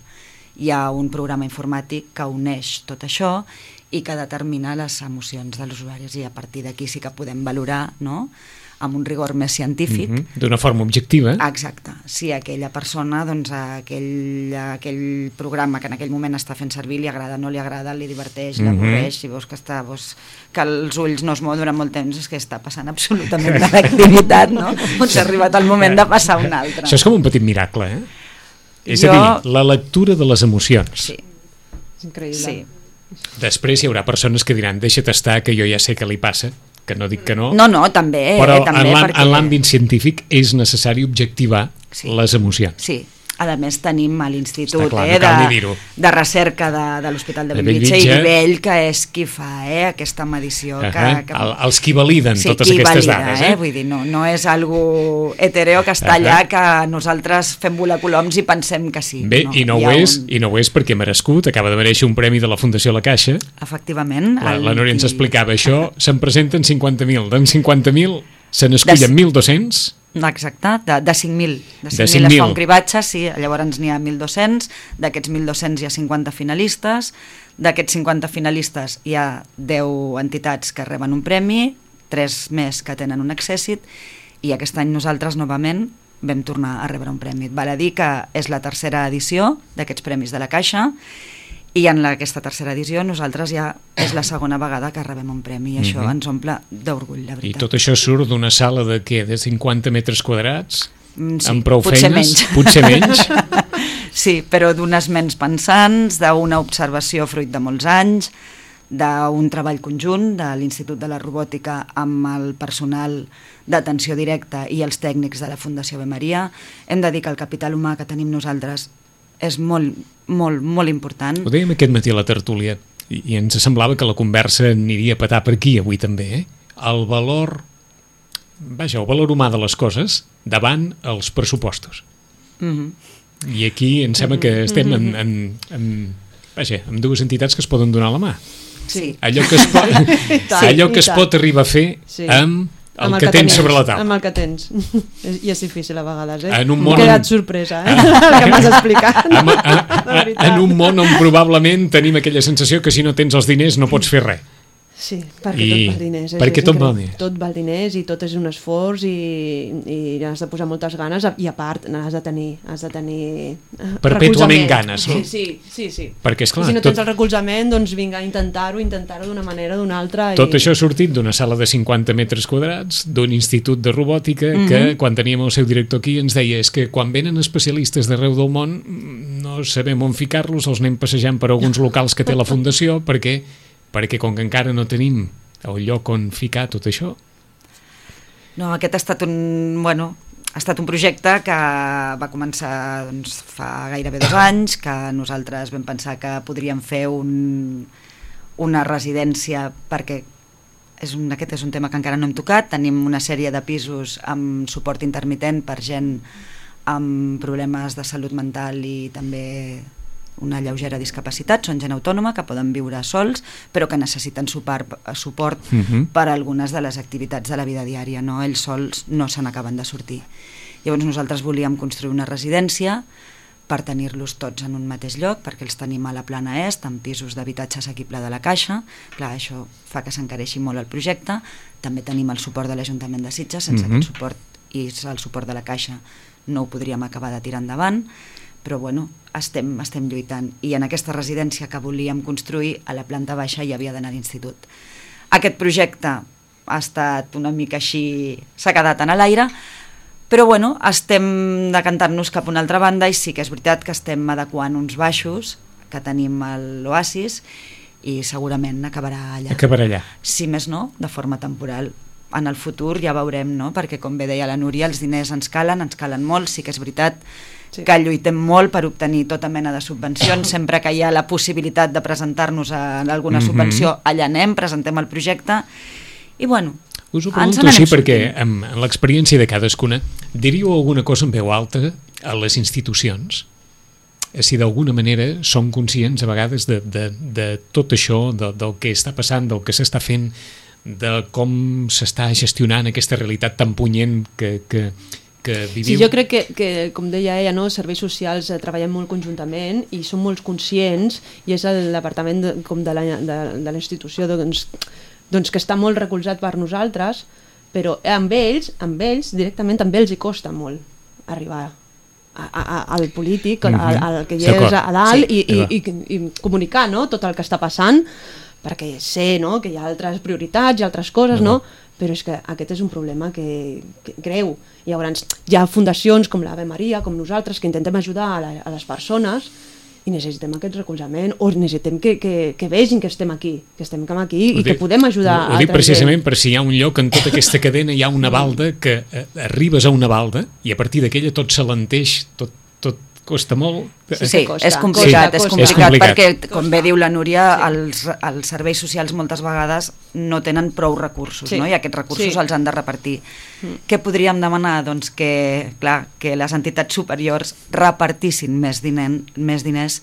[SPEAKER 5] Hi ha un programa informàtic que uneix tot això i que determina les emocions de els usuaris, i a partir d'aquí sí que podem valorar, no?, amb un rigor més científic.
[SPEAKER 2] Mm-hmm. D'una forma objectiva.
[SPEAKER 5] Exacte. Si aquella persona, doncs, aquell, aquell programa que en aquell moment està fent servir li agrada, no li agrada, li diverteix, mm-hmm. l'avorreix, si veus que, està, veus que els ulls no es mouen durant molt temps, és que està passant absolutament una activitat, no? Doncs ha arribat el moment de passar una altra.
[SPEAKER 2] Això és com un petit miracle, eh? És
[SPEAKER 5] jo...
[SPEAKER 2] a dir, la lectura de les emocions.
[SPEAKER 5] Sí.
[SPEAKER 4] És increïble.
[SPEAKER 5] Sí.
[SPEAKER 2] Després hi haurà persones que diran, deixa't estar, que jo ja sé què li passa, que no dic que no.
[SPEAKER 5] No, no, també.
[SPEAKER 2] Però
[SPEAKER 5] eh, també
[SPEAKER 2] en l'àmbit perquè... científic és necessari objectivar sí. les emocions.
[SPEAKER 5] Sí. A més tenim a l'Institut
[SPEAKER 2] clar,
[SPEAKER 5] eh,
[SPEAKER 2] no
[SPEAKER 5] de, de Recerca de, de l'Hospital de Bellvitge i Nivell, que és qui fa eh, aquesta medició.
[SPEAKER 2] Uh-huh.
[SPEAKER 5] que, que...
[SPEAKER 2] El, els qui validen sí, totes
[SPEAKER 5] qui
[SPEAKER 2] aquestes
[SPEAKER 5] valida,
[SPEAKER 2] dades. Eh?
[SPEAKER 5] Eh? Vull dir, no, no és algo hetereo que està uh-huh. allà, que nosaltres fem volar coloms i pensem que sí.
[SPEAKER 2] Bé, no, i, no ho és, un... i no ho és perquè ha merescut, acaba de mereixer un premi de la Fundació La Caixa.
[SPEAKER 5] Efectivament.
[SPEAKER 2] La,
[SPEAKER 5] el...
[SPEAKER 2] la Núria ens explicava això, se'n presenten cinquanta mil, d'en cinquanta mil se n'escullen de... mil dos-cents.
[SPEAKER 5] Exacte, de, de cinc mil. De cinc mil es fa un cribatge, sí, llavors n'hi ha mil dos-cents, d'aquests mil dos-cents hi ha cinquanta finalistes, d'aquests cinquanta finalistes hi ha deu entitats que reben un premi, tres més que tenen un accèssit, i aquest any nosaltres novament vam tornar a rebre un premi. Val a dir que és la tercera edició d'aquests premis de la Caixa, i en la, aquesta tercera edició nosaltres ja és la segona vegada que rebem un premi, i això mm-hmm. ens omple d'orgull, la veritat.
[SPEAKER 2] I tot això surt d'una sala de què? De cinquanta metres quadrats?
[SPEAKER 5] Mm, sí,
[SPEAKER 2] amb prou
[SPEAKER 5] potser
[SPEAKER 2] feines?
[SPEAKER 5] Menys.
[SPEAKER 2] Potser menys?
[SPEAKER 5] Sí, però d'unes ments pensants, d'una observació fruit de molts anys, d'un treball conjunt de l'Institut de la Robòtica amb el personal d'atenció directa i els tècnics de la Fundació Ave Maria. Hem de dir que el capital humà que tenim nosaltres és molt, molt, molt important.
[SPEAKER 2] Ho dèiem aquest matí a la tertúlia i, i ens semblava que la conversa aniria a petar per aquí avui també, eh? El valor, vaja, el valor humà de les coses davant els pressupostos.
[SPEAKER 5] Mm-hmm.
[SPEAKER 2] I aquí em sembla que estem en, en, en, vaja, en dues entitats que es poden donar la mà.
[SPEAKER 5] Sí.
[SPEAKER 2] Allò que es pot,
[SPEAKER 4] tant,
[SPEAKER 2] allò que
[SPEAKER 4] i
[SPEAKER 2] es
[SPEAKER 4] tant.
[SPEAKER 2] pot arribar a fer
[SPEAKER 4] Sí.
[SPEAKER 2] amb el,
[SPEAKER 4] Amb
[SPEAKER 2] que, que tens
[SPEAKER 4] tenies,
[SPEAKER 2] sobre la taula.
[SPEAKER 4] Amb el que tens. I és difícil a vegades, eh?
[SPEAKER 2] En un
[SPEAKER 4] M'he
[SPEAKER 2] món
[SPEAKER 4] quedat
[SPEAKER 2] on-
[SPEAKER 4] sorpresa, eh? El que m'has explicat.
[SPEAKER 2] En, en,
[SPEAKER 4] La veritat.
[SPEAKER 2] en un món on probablement tenim aquella sensació que si no tens els diners no pots fer res.
[SPEAKER 4] Sí, perquè
[SPEAKER 2] I-
[SPEAKER 4] tot val diners. és-
[SPEAKER 2] perquè
[SPEAKER 4] és
[SPEAKER 2] tot val
[SPEAKER 4] increïble.
[SPEAKER 2] diners.
[SPEAKER 4] Tot val diners i tot és un esforç i, i has de posar moltes ganes i a part has de tenir, has de tenir eh,
[SPEAKER 2] Perpètuament
[SPEAKER 4] recolzament.
[SPEAKER 2] ganes, no?
[SPEAKER 4] Sí, sí, sí, sí.
[SPEAKER 2] Perquè, esclar,
[SPEAKER 4] I si no
[SPEAKER 2] tot-
[SPEAKER 4] tens el recolzament, doncs vinga, a intentar-ho, intentar-ho d'una manera o d'una altra.
[SPEAKER 2] Tot
[SPEAKER 4] i...
[SPEAKER 2] això ha sortit d'una sala de cinquanta metres quadrats, d'un institut de robòtica,
[SPEAKER 5] Mhm.
[SPEAKER 2] que quan teníem el seu director aquí ens deia és que quan venen especialistes d'arreu del món no sabem on ficar-los, els anem passejant per alguns locals que té la fundació perquè, perquè com que encara no tenim el lloc on ficar tot això.
[SPEAKER 5] No, aquest ha estat un, bueno, ha estat un projecte que va començar doncs, fa gairebé dos anys, que nosaltres vam pensar que podríem fer un, una residència perquè és un, aquest és un tema que encara no hem tocat. Tenim una sèrie de pisos amb suport intermitent per gent amb problemes de salut mental i també una lleugera discapacitat, són gent autònoma que poden viure sols però que necessiten suport, suport
[SPEAKER 2] Uh-huh.
[SPEAKER 5] per a algunes de les activitats de la vida diària, no? Ells sols no se n'acaben de sortir. Llavors nosaltres volíem construir una residència per tenir-los tots en un mateix lloc, perquè els tenim a la plana est, amb pisos d'habitatge assequible de la Caixa. Clar, això fa que s'encareixi molt el projecte. També tenim el suport de l'Ajuntament de Sitges, sense
[SPEAKER 2] Mhm.
[SPEAKER 5] aquest suport i el suport de la Caixa no ho podríem acabar de tirar endavant, però bueno, estem, estem lluitant. I en aquesta residència que volíem construir, a la planta baixa hi havia d'anar l'institut. Aquest projecte ha estat una mica així, s'ha quedat en l'aire, però bueno, estem decantant-nos cap a una altra banda i sí que és veritat que estem adequant uns baixos que tenim a l'Oasis i segurament acabarà allà.
[SPEAKER 2] Acabarà allà.
[SPEAKER 5] Si més no, de forma temporal. En el futur ja veurem, no? Perquè com bé deia la Núria, els diners ens calen, ens calen molt, sí que és veritat
[SPEAKER 4] Sí.
[SPEAKER 5] que lluitem molt per obtenir tota mena de subvencions, sempre que hi ha la possibilitat de presentar-nos a alguna
[SPEAKER 2] Mhm.
[SPEAKER 5] subvenció, allà anem, presentem el projecte i bueno,
[SPEAKER 2] Us ho
[SPEAKER 5] ens
[SPEAKER 2] pregunto
[SPEAKER 5] n'anem
[SPEAKER 2] així perquè
[SPEAKER 5] sortint.
[SPEAKER 2] amb, amb l'experiència de cadascuna diríeu alguna cosa en veu alta a les institucions? Si d'alguna manera som conscients a vegades de, de, de tot això, de, del que està passant, del que s'està fent, de com s'està gestionant aquesta realitat tan punyent que, que, que viviu.
[SPEAKER 4] Sí, jo crec que, que, com deia ella, no, els serveis socials eh, treballem molt conjuntament i som molt conscients, i és el departament de, com de la, de, de la institució doncs, doncs que està molt recolzat per nosaltres, però amb ells, amb ells directament també els hi costa molt arribar a, a, al polític, al, al que hi és
[SPEAKER 2] D'acord.
[SPEAKER 4] a dalt,
[SPEAKER 2] Sí,
[SPEAKER 4] i, i, i, i comunicar, no, tot el que està passant, perquè sé, no, que hi ha altres prioritats i altres coses, no? Però és que aquest és un problema que, que greu. I llavors hi ha fundacions com l'Ave Maria, com nosaltres, que intentem ajudar a, la, a les persones i necessitem aquest recolzament, o necessitem que, que, que vegin que estem aquí, que estem aquí
[SPEAKER 2] Ho
[SPEAKER 4] i que
[SPEAKER 2] dic-
[SPEAKER 4] podem ajudar
[SPEAKER 2] ho, ho
[SPEAKER 4] a
[SPEAKER 2] dic
[SPEAKER 4] altra
[SPEAKER 2] precisament
[SPEAKER 4] gent.
[SPEAKER 2] per si hi ha un lloc en tota aquesta cadena, hi ha una balda que eh, arribes a una balda i a partir d'aquella tot s'alenteix, tot, tot costa molt.
[SPEAKER 5] Sí,
[SPEAKER 4] Sí, costa,
[SPEAKER 5] és complicat,
[SPEAKER 4] costa,
[SPEAKER 5] és
[SPEAKER 4] costa.
[SPEAKER 5] complicat,
[SPEAKER 2] És complicat.
[SPEAKER 5] perquè, com bé diu la Núria, els, els serveis socials moltes vegades no tenen prou recursos,
[SPEAKER 4] Sí.
[SPEAKER 5] no? I aquests recursos
[SPEAKER 4] Sí.
[SPEAKER 5] els han de repartir. Què podríem demanar? Doncs que, clar, que les entitats superiors repartissin més, diner, més diners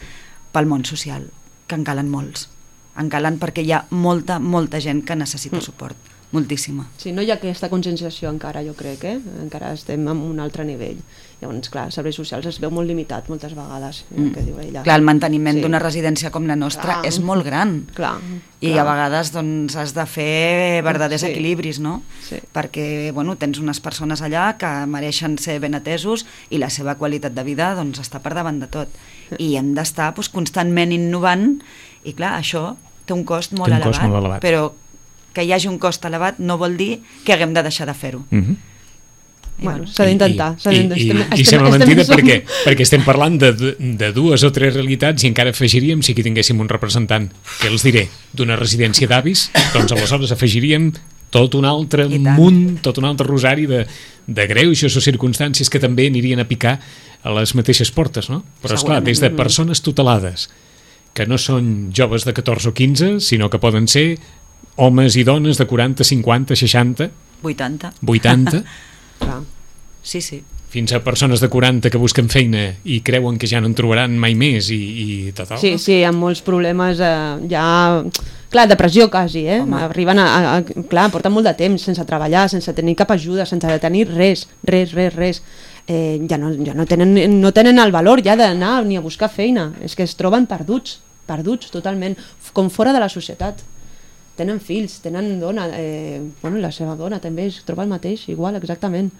[SPEAKER 5] pel món social, que en calen molts. En calen perquè hi ha molta, molta gent que necessita suport, moltíssima.
[SPEAKER 4] Sí, no hi ha aquesta conscienciació encara, jo crec, eh? Encara estem en un altre nivell. Llavors, clar, els serveis socials es veu molt limitat moltes vegades, mm. que diu ella.
[SPEAKER 5] Clar, el manteniment
[SPEAKER 4] Sí.
[SPEAKER 5] d'una residència com la nostra
[SPEAKER 4] Clar.
[SPEAKER 5] és molt gran.
[SPEAKER 4] Clar,
[SPEAKER 5] I
[SPEAKER 4] clar.
[SPEAKER 5] a vegades doncs, has de fer verdaders
[SPEAKER 4] Sí.
[SPEAKER 5] equilibris, no?
[SPEAKER 4] Sí.
[SPEAKER 5] Perquè bueno, tens unes persones allà que mereixen ser ben atesos i la seva qualitat de vida doncs, està per davant de tot. I hem d'estar doncs, constantment innovant i clar, això té un cost molt,
[SPEAKER 2] Té un
[SPEAKER 5] elevat,
[SPEAKER 2] cost molt elevat.
[SPEAKER 5] però que hi hagi un cost elevat no vol dir que haguem de deixar de fer-ho.
[SPEAKER 2] Uh -huh.
[SPEAKER 4] I, bueno, s'ha d'intentar. s'ha
[SPEAKER 2] I, i,
[SPEAKER 4] d'intentar.
[SPEAKER 2] i, i sembla mentida perquè, perquè estem parlant de, de dues o tres realitats i encara afegiríem, si aquí tinguéssim un representant, que els diré, d'una residència d'avis, doncs aleshores afegiríem tot un altre
[SPEAKER 5] I tant.
[SPEAKER 2] munt, tot un altre rosari de, de greuges o circumstàncies que també anirien a picar a les mateixes portes, no? Però esclar, des de persones tutelades, que no són joves de catorze o quinze, sinó que poden ser homes i dones de quaranta, cinquanta, seixanta,
[SPEAKER 5] vuitanta.
[SPEAKER 2] vuitanta,
[SPEAKER 4] Clar.
[SPEAKER 5] Sí, sí.
[SPEAKER 2] fins a persones de quaranta que busquen feina i creuen que ja no en trobaran mai més i, i total.
[SPEAKER 4] Sí, sí, amb molts problemes eh, ja... Clar, depressió quasi, eh? Home. Arriben a, a, a... Clar, porten molt de temps sense treballar, sense tenir cap ajuda, sense tenir res, res, res, res. Eh, ja no, ja no, tenen, no tenen el valor ja d'anar ni a buscar feina. És que es troben perduts, perduts totalment, com fora de la societat. Tenen fills, tenen dona, eh, bueno, la seva dona també es troba el mateix, igual, exactament.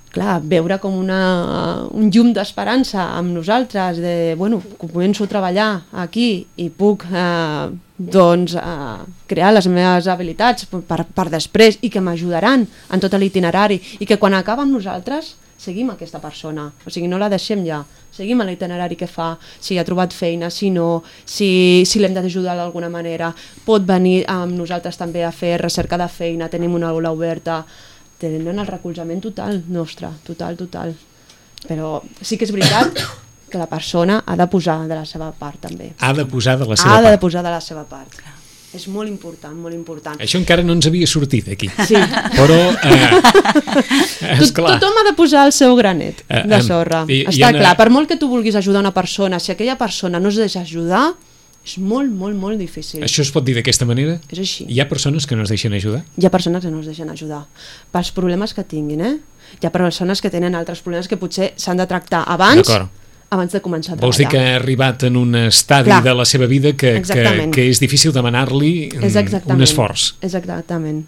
[SPEAKER 4] Clar, veure com una, un llum d'esperança amb nosaltres, de, bueno, començo a treballar aquí i puc eh, doncs, eh, crear les meves habilitats per, per després i que m'ajudaran en tot l'itinerari i que quan acaba amb nosaltres seguim aquesta persona, o sigui, no la deixem ja, seguim l'itinerari que fa, si ha trobat feina, si no, si, si l'hem d'ajudar d'alguna manera, pot venir amb nosaltres també a fer recerca de feina, tenim una aula oberta, tenen el recolzament total nostre, total, total. Però sí que és veritat que la persona ha de posar de la seva part també.
[SPEAKER 2] Ha de posar de la seva
[SPEAKER 4] ha
[SPEAKER 2] part.
[SPEAKER 4] Ha de posar de la seva part. És molt important, molt important.
[SPEAKER 2] Això encara no ens havia sortit aquí.
[SPEAKER 4] Sí.
[SPEAKER 2] Però, eh, esclar.
[SPEAKER 4] Tothom ha de posar el seu granet de sorra.
[SPEAKER 2] I,
[SPEAKER 4] Està
[SPEAKER 2] una...
[SPEAKER 4] clar, per molt que tu vulguis ajudar una persona, si aquella persona no es deixa ajudar, és molt, molt, molt difícil.
[SPEAKER 2] Això es pot dir d'aquesta manera?
[SPEAKER 4] És així.
[SPEAKER 2] Hi ha persones que no es deixen ajudar?
[SPEAKER 4] Hi ha persones que no es deixen ajudar. Pels problemes que tinguin, eh? Hi ha persones que tenen altres problemes que potser s'han de tractar abans, abans de començar a treballar.
[SPEAKER 2] Vols dir que ha arribat en un estadi Clar. de la seva vida que, que, que és difícil demanar-li un esforç.
[SPEAKER 4] Exactament.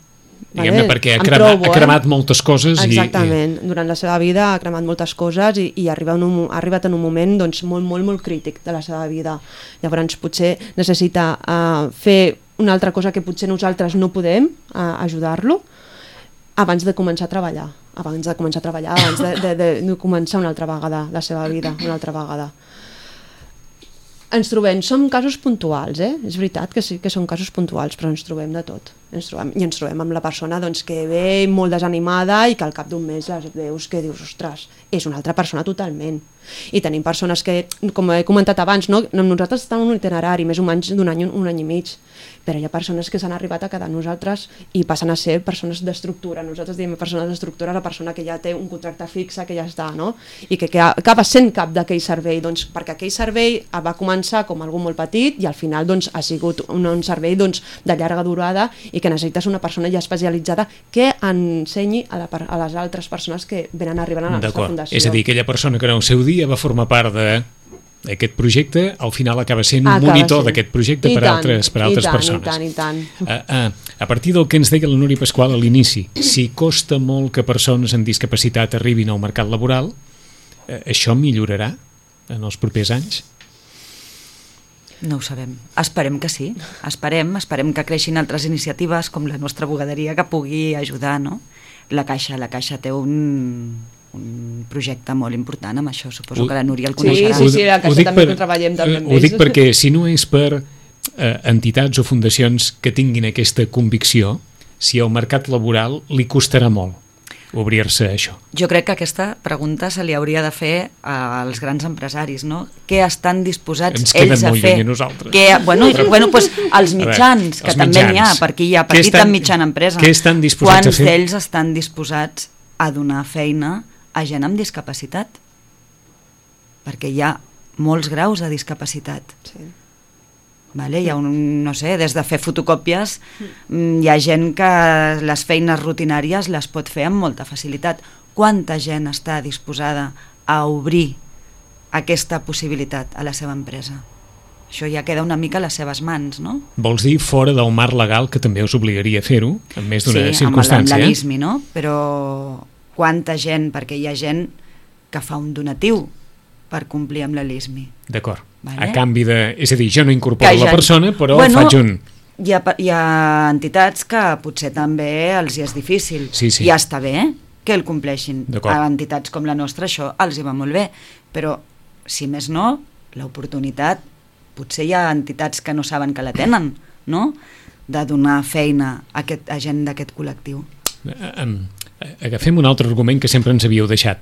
[SPEAKER 2] Diguem-ne, perquè ha, crema, trobo, ha cremat eh? moltes coses.
[SPEAKER 4] Exactament,
[SPEAKER 2] i, i...
[SPEAKER 4] durant la seva vida ha cremat moltes coses i, i arriba un, ha arribat en un moment doncs, molt, molt, molt crític de la seva vida. Llavors potser necessita uh, fer una altra cosa que potser nosaltres no podem uh, ajudar-lo abans de començar a treballar, abans de començar a treballar, abans de, de, de, de començar una altra vegada la seva vida, una altra vegada. Ens trobem, són casos puntuals, eh? És veritat que sí que són casos puntuals, però ens trobem de tot. Ens trobem, I ens trobem amb la persona doncs, que ve molt desanimada i que al cap d'un mes les veus que dius, ostres, és una altra persona totalment. I tenim persones que, com he comentat abans, no? Nosaltres estem en un itinerari més o menys d'un any, un any i mig, però hi ha persones que s'han arribat a quedar amb nosaltres i passen a ser persones d'estructura. Nosaltres diem persones d'estructura, la persona que ja té un contracte fixe, que ja està, no? I que, que acaba sent cap d'aquell servei, doncs, perquè aquell servei va començar com algú molt petit i al final doncs, ha sigut un, un servei doncs, de llarga durada i que necessites una persona ja especialitzada que ensenyi a, la, a les altres persones que venen arribant a la nostra fundació.
[SPEAKER 2] És a dir, aquella persona que en el seu dia va formar part de aquest projecte, al final acaba sent un acaba monitor d'aquest projecte per, tant, altres, per altres
[SPEAKER 4] tant,
[SPEAKER 2] persones.
[SPEAKER 4] I tant, i tant.
[SPEAKER 2] A, a, a partir del que ens deia la Núria Pasqual a l'inici, si costa molt que persones amb discapacitat arribin al mercat laboral, eh, això millorarà en els propers anys?
[SPEAKER 5] No ho sabem. Esperem que sí. Esperem, esperem que creixin altres iniciatives com la nostra bugaderia que pugui ajudar, no? La Caixa, la Caixa té un... un projecte molt important amb això, suposo ho, que la Núria el coneixerà.
[SPEAKER 4] Sí, sí, sí, la Caixa també per, treballem també amb
[SPEAKER 2] ells. Ho dic perquè si no és per eh, entitats o fundacions que tinguin aquesta convicció, si al mercat laboral li costarà molt obrir-se a això.
[SPEAKER 5] Jo crec que aquesta pregunta se li hauria de fer als grans empresaris, no? Què estan disposats ells a fer? Què, bueno, i, bueno, pues, els mitjans, veure, que els també n'hi ha, per aquí hi ha petita i mitjana empresa.
[SPEAKER 2] Què estan disposats
[SPEAKER 5] Quants
[SPEAKER 2] a fer?
[SPEAKER 5] Quants d'ells estan disposats a donar feina a gent amb discapacitat? Perquè hi ha molts graus de discapacitat. Sí. Vale? Hi ha un, no sé, des de fer fotocòpies, hi ha gent que les feines rutinàries les pot fer amb molta facilitat. Quanta gent està disposada a obrir aquesta possibilitat a la seva empresa? Això ja queda una mica a les seves mans, no?
[SPEAKER 2] Vols dir fora del marc legal que també us obligaria a fer-ho, en més d'una
[SPEAKER 5] sí,
[SPEAKER 2] circumstància?
[SPEAKER 5] Sí, amb l'I S M I, no? Però quanta gent, perquè hi ha gent que fa un donatiu per complir amb la L I S M I.
[SPEAKER 2] D'acord.
[SPEAKER 5] Vale?
[SPEAKER 2] A canvi de... És a dir, jo no incorporo ja, la persona, però
[SPEAKER 5] bueno,
[SPEAKER 2] faig un...
[SPEAKER 5] Hi ha, hi ha entitats que potser també els hi és difícil.
[SPEAKER 2] Sí, sí.
[SPEAKER 5] Ja està bé que el compleixin. A entitats com la nostra això els hi va molt bé. Però, si més no, l'oportunitat... Potser hi ha entitats que no saben que la tenen, no? De donar feina a, aquest, a gent d'aquest col·lectiu.
[SPEAKER 2] Agafem un altre argument que sempre ens havíeu deixat.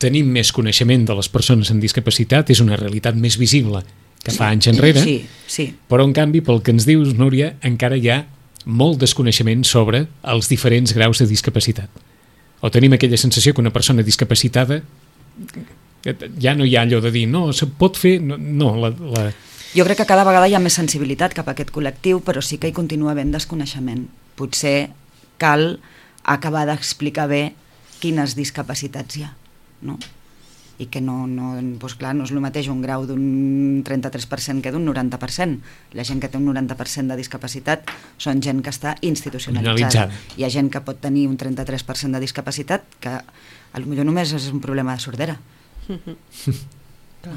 [SPEAKER 2] Tenim més coneixement de les persones amb discapacitat, és una realitat més visible que fa anys enrere,
[SPEAKER 5] sí, sí.
[SPEAKER 2] Però en canvi, pel que ens dius, Núria, encara hi ha molt desconeixement sobre els diferents graus de discapacitat. o tenim aquella sensació que una persona discapacitada ja no hi ha allò de dir no, se pot fer, no, no la, la...
[SPEAKER 5] Jo crec que cada vegada hi ha més sensibilitat cap a aquest col·lectiu, però sí que hi continua havent desconeixement. Potser cal acabar d'explicar bé quines discapacitats hi ha, no? I que no, no, doncs clar, no és el mateix un grau d'un trenta-tres per cent que d'un noranta per cent. La gent que té un noranta per cent de discapacitat són gent que està institucionalitzada. Hi ha gent que pot tenir un trenta-tres per cent de discapacitat que potser només és un problema de sordera.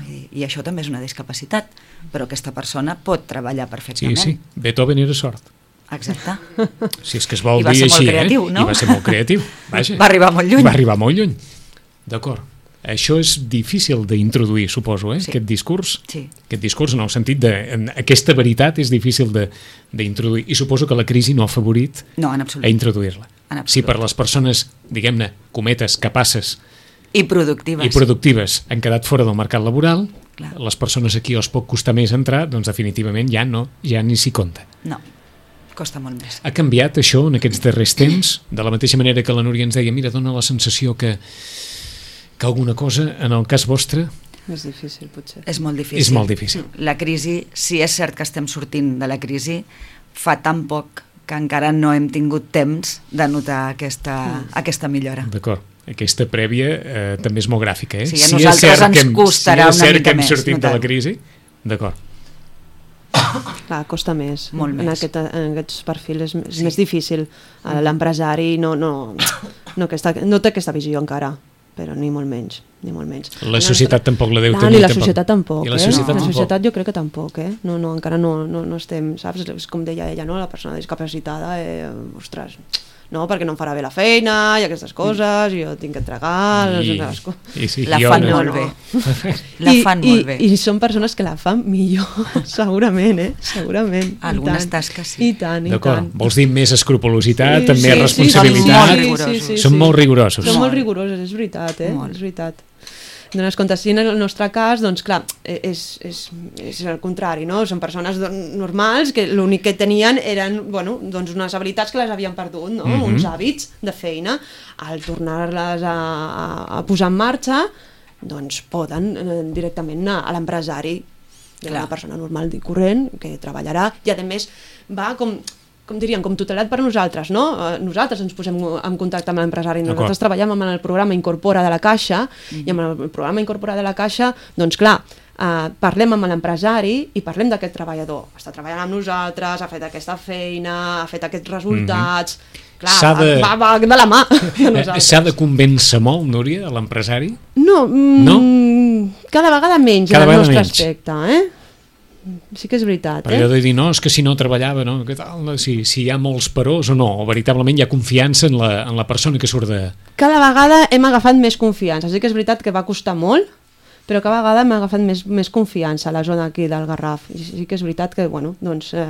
[SPEAKER 5] I, I això també és una discapacitat, però aquesta persona pot treballar perfectament.
[SPEAKER 2] Sí, sí, Beethoven era sord.
[SPEAKER 5] Exacte.
[SPEAKER 2] Si és que es vol
[SPEAKER 5] I va
[SPEAKER 2] dir
[SPEAKER 5] ser molt
[SPEAKER 2] així,
[SPEAKER 5] creatiu,
[SPEAKER 2] eh?
[SPEAKER 5] no?
[SPEAKER 2] I va ser molt creatiu. Vaja.
[SPEAKER 5] Va arribar molt lluny.
[SPEAKER 2] Va arribar molt lluny. D'acord. Això és difícil d'introduir, suposo, eh?
[SPEAKER 5] Sí.
[SPEAKER 2] Aquest discurs.
[SPEAKER 5] Sí.
[SPEAKER 2] Aquest discurs en el sentit de... En aquesta veritat és difícil d'introduir. I suposo que la crisi no ha afavorit
[SPEAKER 5] No, en absolut.
[SPEAKER 2] a introduir-la.
[SPEAKER 5] En absolut.
[SPEAKER 2] Si per les persones, diguem-ne, cometes, capaces
[SPEAKER 5] I productives.
[SPEAKER 2] i productives han quedat fora del mercat laboral,
[SPEAKER 5] Clar.
[SPEAKER 2] les persones aquí els pot costar més entrar, doncs definitivament ja no, ja ni s'hi compta.
[SPEAKER 5] No, costa molt més.
[SPEAKER 2] Ha canviat això en aquests darrers temps? De la mateixa manera que la Núria ens deia, mira, dona la sensació que, que alguna cosa, en el cas vostre,
[SPEAKER 4] És difícil, potser.
[SPEAKER 5] És molt difícil.
[SPEAKER 2] és molt difícil.
[SPEAKER 5] La crisi, si és cert que estem sortint de la crisi, fa tan poc que encara no hem tingut temps de notar aquesta, aquesta millora.
[SPEAKER 2] D'acord. Aquesta prèvia eh, també és molt gràfica, eh?
[SPEAKER 5] Sí, a
[SPEAKER 2] si
[SPEAKER 5] nosaltres
[SPEAKER 2] és cert
[SPEAKER 5] ens
[SPEAKER 2] que hem,
[SPEAKER 5] costarà
[SPEAKER 2] si és
[SPEAKER 5] una
[SPEAKER 2] cert
[SPEAKER 5] mica
[SPEAKER 2] que hem
[SPEAKER 5] més
[SPEAKER 2] sortit de
[SPEAKER 5] notar-ho.
[SPEAKER 2] la crisi, d'acord.
[SPEAKER 4] Clar, costa més.
[SPEAKER 5] Molt
[SPEAKER 4] en,
[SPEAKER 5] més.
[SPEAKER 4] aquest, en aquests perfils és, és
[SPEAKER 5] Sí.
[SPEAKER 4] més difícil. Eh, L'empresari no, no, no, aquesta, no té aquesta visió encara, però ni molt menys. Ni molt menys.
[SPEAKER 2] La societat tampoc la deu
[SPEAKER 4] Ah,
[SPEAKER 2] tenir.
[SPEAKER 4] ni la
[SPEAKER 2] tampoc.
[SPEAKER 4] societat tampoc,
[SPEAKER 2] I la
[SPEAKER 4] eh?
[SPEAKER 2] societat
[SPEAKER 4] la
[SPEAKER 2] tampoc.
[SPEAKER 4] societat jo crec que tampoc, eh? No, no, encara no, no, no estem, saps? És com deia ella, no? La persona discapacitada, eh, ostres, no, perquè no em farà bé la feina i aquestes coses, i jo tinc que entregar...
[SPEAKER 2] I,
[SPEAKER 4] les coses.
[SPEAKER 2] i sí,
[SPEAKER 5] La
[SPEAKER 2] jo
[SPEAKER 5] fan
[SPEAKER 2] no-
[SPEAKER 5] molt bé. La fan
[SPEAKER 4] I,
[SPEAKER 5] molt bé.
[SPEAKER 4] I, I són persones que la fan millor, segurament, eh? Segurament. I
[SPEAKER 5] Algunes
[SPEAKER 4] tant.
[SPEAKER 5] tasques sí.
[SPEAKER 4] I tant, i
[SPEAKER 2] D'acord.
[SPEAKER 4] tant.
[SPEAKER 2] Vols dir més escrupolositat,
[SPEAKER 4] Sí,
[SPEAKER 2] amb
[SPEAKER 4] sí,
[SPEAKER 2] més
[SPEAKER 4] sí,
[SPEAKER 2] responsabilitat?
[SPEAKER 5] sí, sí, sí,
[SPEAKER 2] Són molt rigorosos.
[SPEAKER 4] Són molt
[SPEAKER 5] Molt.
[SPEAKER 4] rigorosos, és veritat, eh?
[SPEAKER 5] Molt.
[SPEAKER 4] És veritat. Dones compte, si en el nostre cas, doncs clar, és, és, és el contrari, no? Són persones don- normals que l'únic que tenien eren, bueno, doncs unes habilitats que les havien perdut, no?
[SPEAKER 2] Mhm.
[SPEAKER 4] Uns hàbits de feina. Al tornar-les a, a, a posar en marxa, doncs poden eh, directament anar a l'empresari, hi ha
[SPEAKER 5] Clar.
[SPEAKER 4] una persona normal i corrent que treballarà, i a més va com com diríem, com tutelat per nosaltres, no? Eh, Nosaltres ens posem en contacte amb l'empresari,
[SPEAKER 2] D'acord.
[SPEAKER 4] nosaltres treballem amb el programa Incorpora de la Caixa, i amb el programa Incorpora de la Caixa, doncs clar, eh, parlem amb l'empresari i parlem d'aquest treballador. Està treballant amb nosaltres, ha fet aquesta feina, ha fet aquests resultats... Clar,
[SPEAKER 2] S'ha de-
[SPEAKER 4] va, va de la mà de
[SPEAKER 2] Eh,
[SPEAKER 4] nosaltres.
[SPEAKER 2] S'ha de convèncer molt, Núria, a l'empresari?
[SPEAKER 4] No, mm,
[SPEAKER 2] No?
[SPEAKER 4] cada vegada menys
[SPEAKER 2] Cada
[SPEAKER 4] en el
[SPEAKER 2] vegada
[SPEAKER 4] nostre
[SPEAKER 2] menys.
[SPEAKER 4] aspecte, eh? Sí que és veritat,
[SPEAKER 2] Per
[SPEAKER 4] eh?
[SPEAKER 2] allò de dir, no, és que si no treballava, no? Què tal? No? Si, si hi ha molts perós o no, o veritablement hi ha confiança en la, en la persona que surt de...
[SPEAKER 4] Cada vegada hem agafat més confiança. Sí que és veritat que va costar molt, però cada vegada hem agafat més, més confiança a la zona aquí del Garraf. I sí que és veritat que, bueno, doncs... Eh,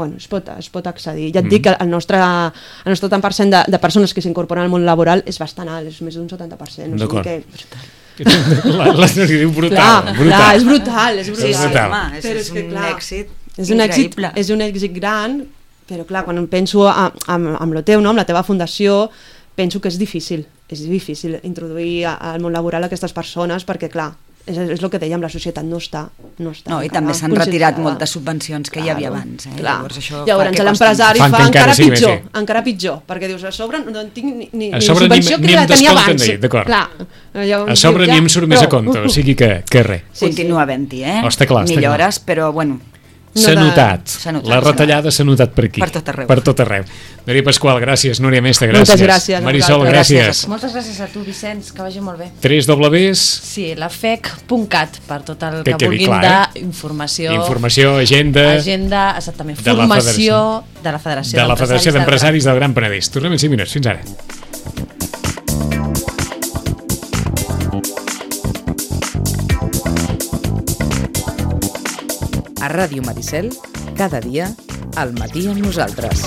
[SPEAKER 4] bueno, es pot, es pot accedir. Ja et
[SPEAKER 2] Mm.
[SPEAKER 4] dic que el nostre, el nostre tant per cent de, de persones que s'incorporen al món laboral és bastant alt, és més d'un setanta per cent. O sigui
[SPEAKER 2] D'acord.
[SPEAKER 4] que...
[SPEAKER 2] La, la Núria diu brutal,
[SPEAKER 4] Clar,
[SPEAKER 2] brutal.
[SPEAKER 4] clar, és brutal, és brutal.
[SPEAKER 5] Sí, sí,
[SPEAKER 2] brutal.
[SPEAKER 5] home, és,
[SPEAKER 4] Però
[SPEAKER 5] és,
[SPEAKER 4] és que,
[SPEAKER 5] un
[SPEAKER 4] clar,
[SPEAKER 5] èxit
[SPEAKER 4] És un, èxit,
[SPEAKER 5] increïble.
[SPEAKER 4] és un èxit gran, però clar, quan penso a, amb, amb lo teu, no? Amb la teva fundació, penso que és difícil, és difícil introduir a- al món laboral aquestes persones perquè, clar, és, és el que dèiem, la societat no està, no està
[SPEAKER 5] No, i
[SPEAKER 4] encara
[SPEAKER 5] també s'han retirat
[SPEAKER 4] conscienciada.
[SPEAKER 5] moltes subvencions que hi havia
[SPEAKER 4] Claro,
[SPEAKER 5] abans. Eh?
[SPEAKER 4] clar.
[SPEAKER 5] Llavors, això
[SPEAKER 4] Llavors
[SPEAKER 5] fa que
[SPEAKER 4] l'empresari
[SPEAKER 2] Fan
[SPEAKER 4] fa
[SPEAKER 2] que encara
[SPEAKER 4] encara
[SPEAKER 2] sigui més
[SPEAKER 4] pitjor,
[SPEAKER 2] bé.
[SPEAKER 4] encara pitjor, perquè dius, a sobre no en tinc ni, ni,
[SPEAKER 2] A
[SPEAKER 4] ni
[SPEAKER 2] sobre ni-
[SPEAKER 4] subvenció
[SPEAKER 2] ni
[SPEAKER 4] que
[SPEAKER 2] em
[SPEAKER 4] la tenia
[SPEAKER 2] descompten
[SPEAKER 4] abans.
[SPEAKER 2] d'ahir, d'acord.
[SPEAKER 4] Clar. Llavors
[SPEAKER 2] A sobre
[SPEAKER 4] dius,
[SPEAKER 2] ni
[SPEAKER 4] ja,
[SPEAKER 2] em surt més a
[SPEAKER 4] prou.
[SPEAKER 2] compte, o sigui que, que res.
[SPEAKER 4] Sí,
[SPEAKER 5] continua havent-hi, eh?
[SPEAKER 2] Oh, està clar, està
[SPEAKER 5] Millores, però bueno,
[SPEAKER 2] S'ha
[SPEAKER 4] No de-
[SPEAKER 2] notat.
[SPEAKER 5] S'ha notat,
[SPEAKER 2] La
[SPEAKER 5] s'ha
[SPEAKER 2] retallada s'ha notat per aquí.
[SPEAKER 5] Per tot arreu.
[SPEAKER 2] Per tot arreu. Núria Pasqual, gràcies. Núria Mestre, gràcies.
[SPEAKER 4] Moltes gràcies a
[SPEAKER 2] Marisol,
[SPEAKER 4] vosaltres.
[SPEAKER 2] gràcies.
[SPEAKER 3] Moltes gràcies a tu, Vicenç, que vagi molt bé.
[SPEAKER 2] tres Ws,
[SPEAKER 3] Sí, la F E C punt cat per tot el
[SPEAKER 2] Que
[SPEAKER 3] que,
[SPEAKER 2] quedi
[SPEAKER 3] vulguin
[SPEAKER 2] clar,
[SPEAKER 3] d'informació.
[SPEAKER 2] informació, agenda
[SPEAKER 3] Agenda, exactament,
[SPEAKER 2] de la
[SPEAKER 3] formació de la Federació
[SPEAKER 2] de la Federació
[SPEAKER 3] d'Empresaris
[SPEAKER 2] d'Empresaris del Gran Penedès. Tornem en cinc minuts. Fins ara.
[SPEAKER 1] A Ràdio Maricel, cada dia, al matí amb nosaltres.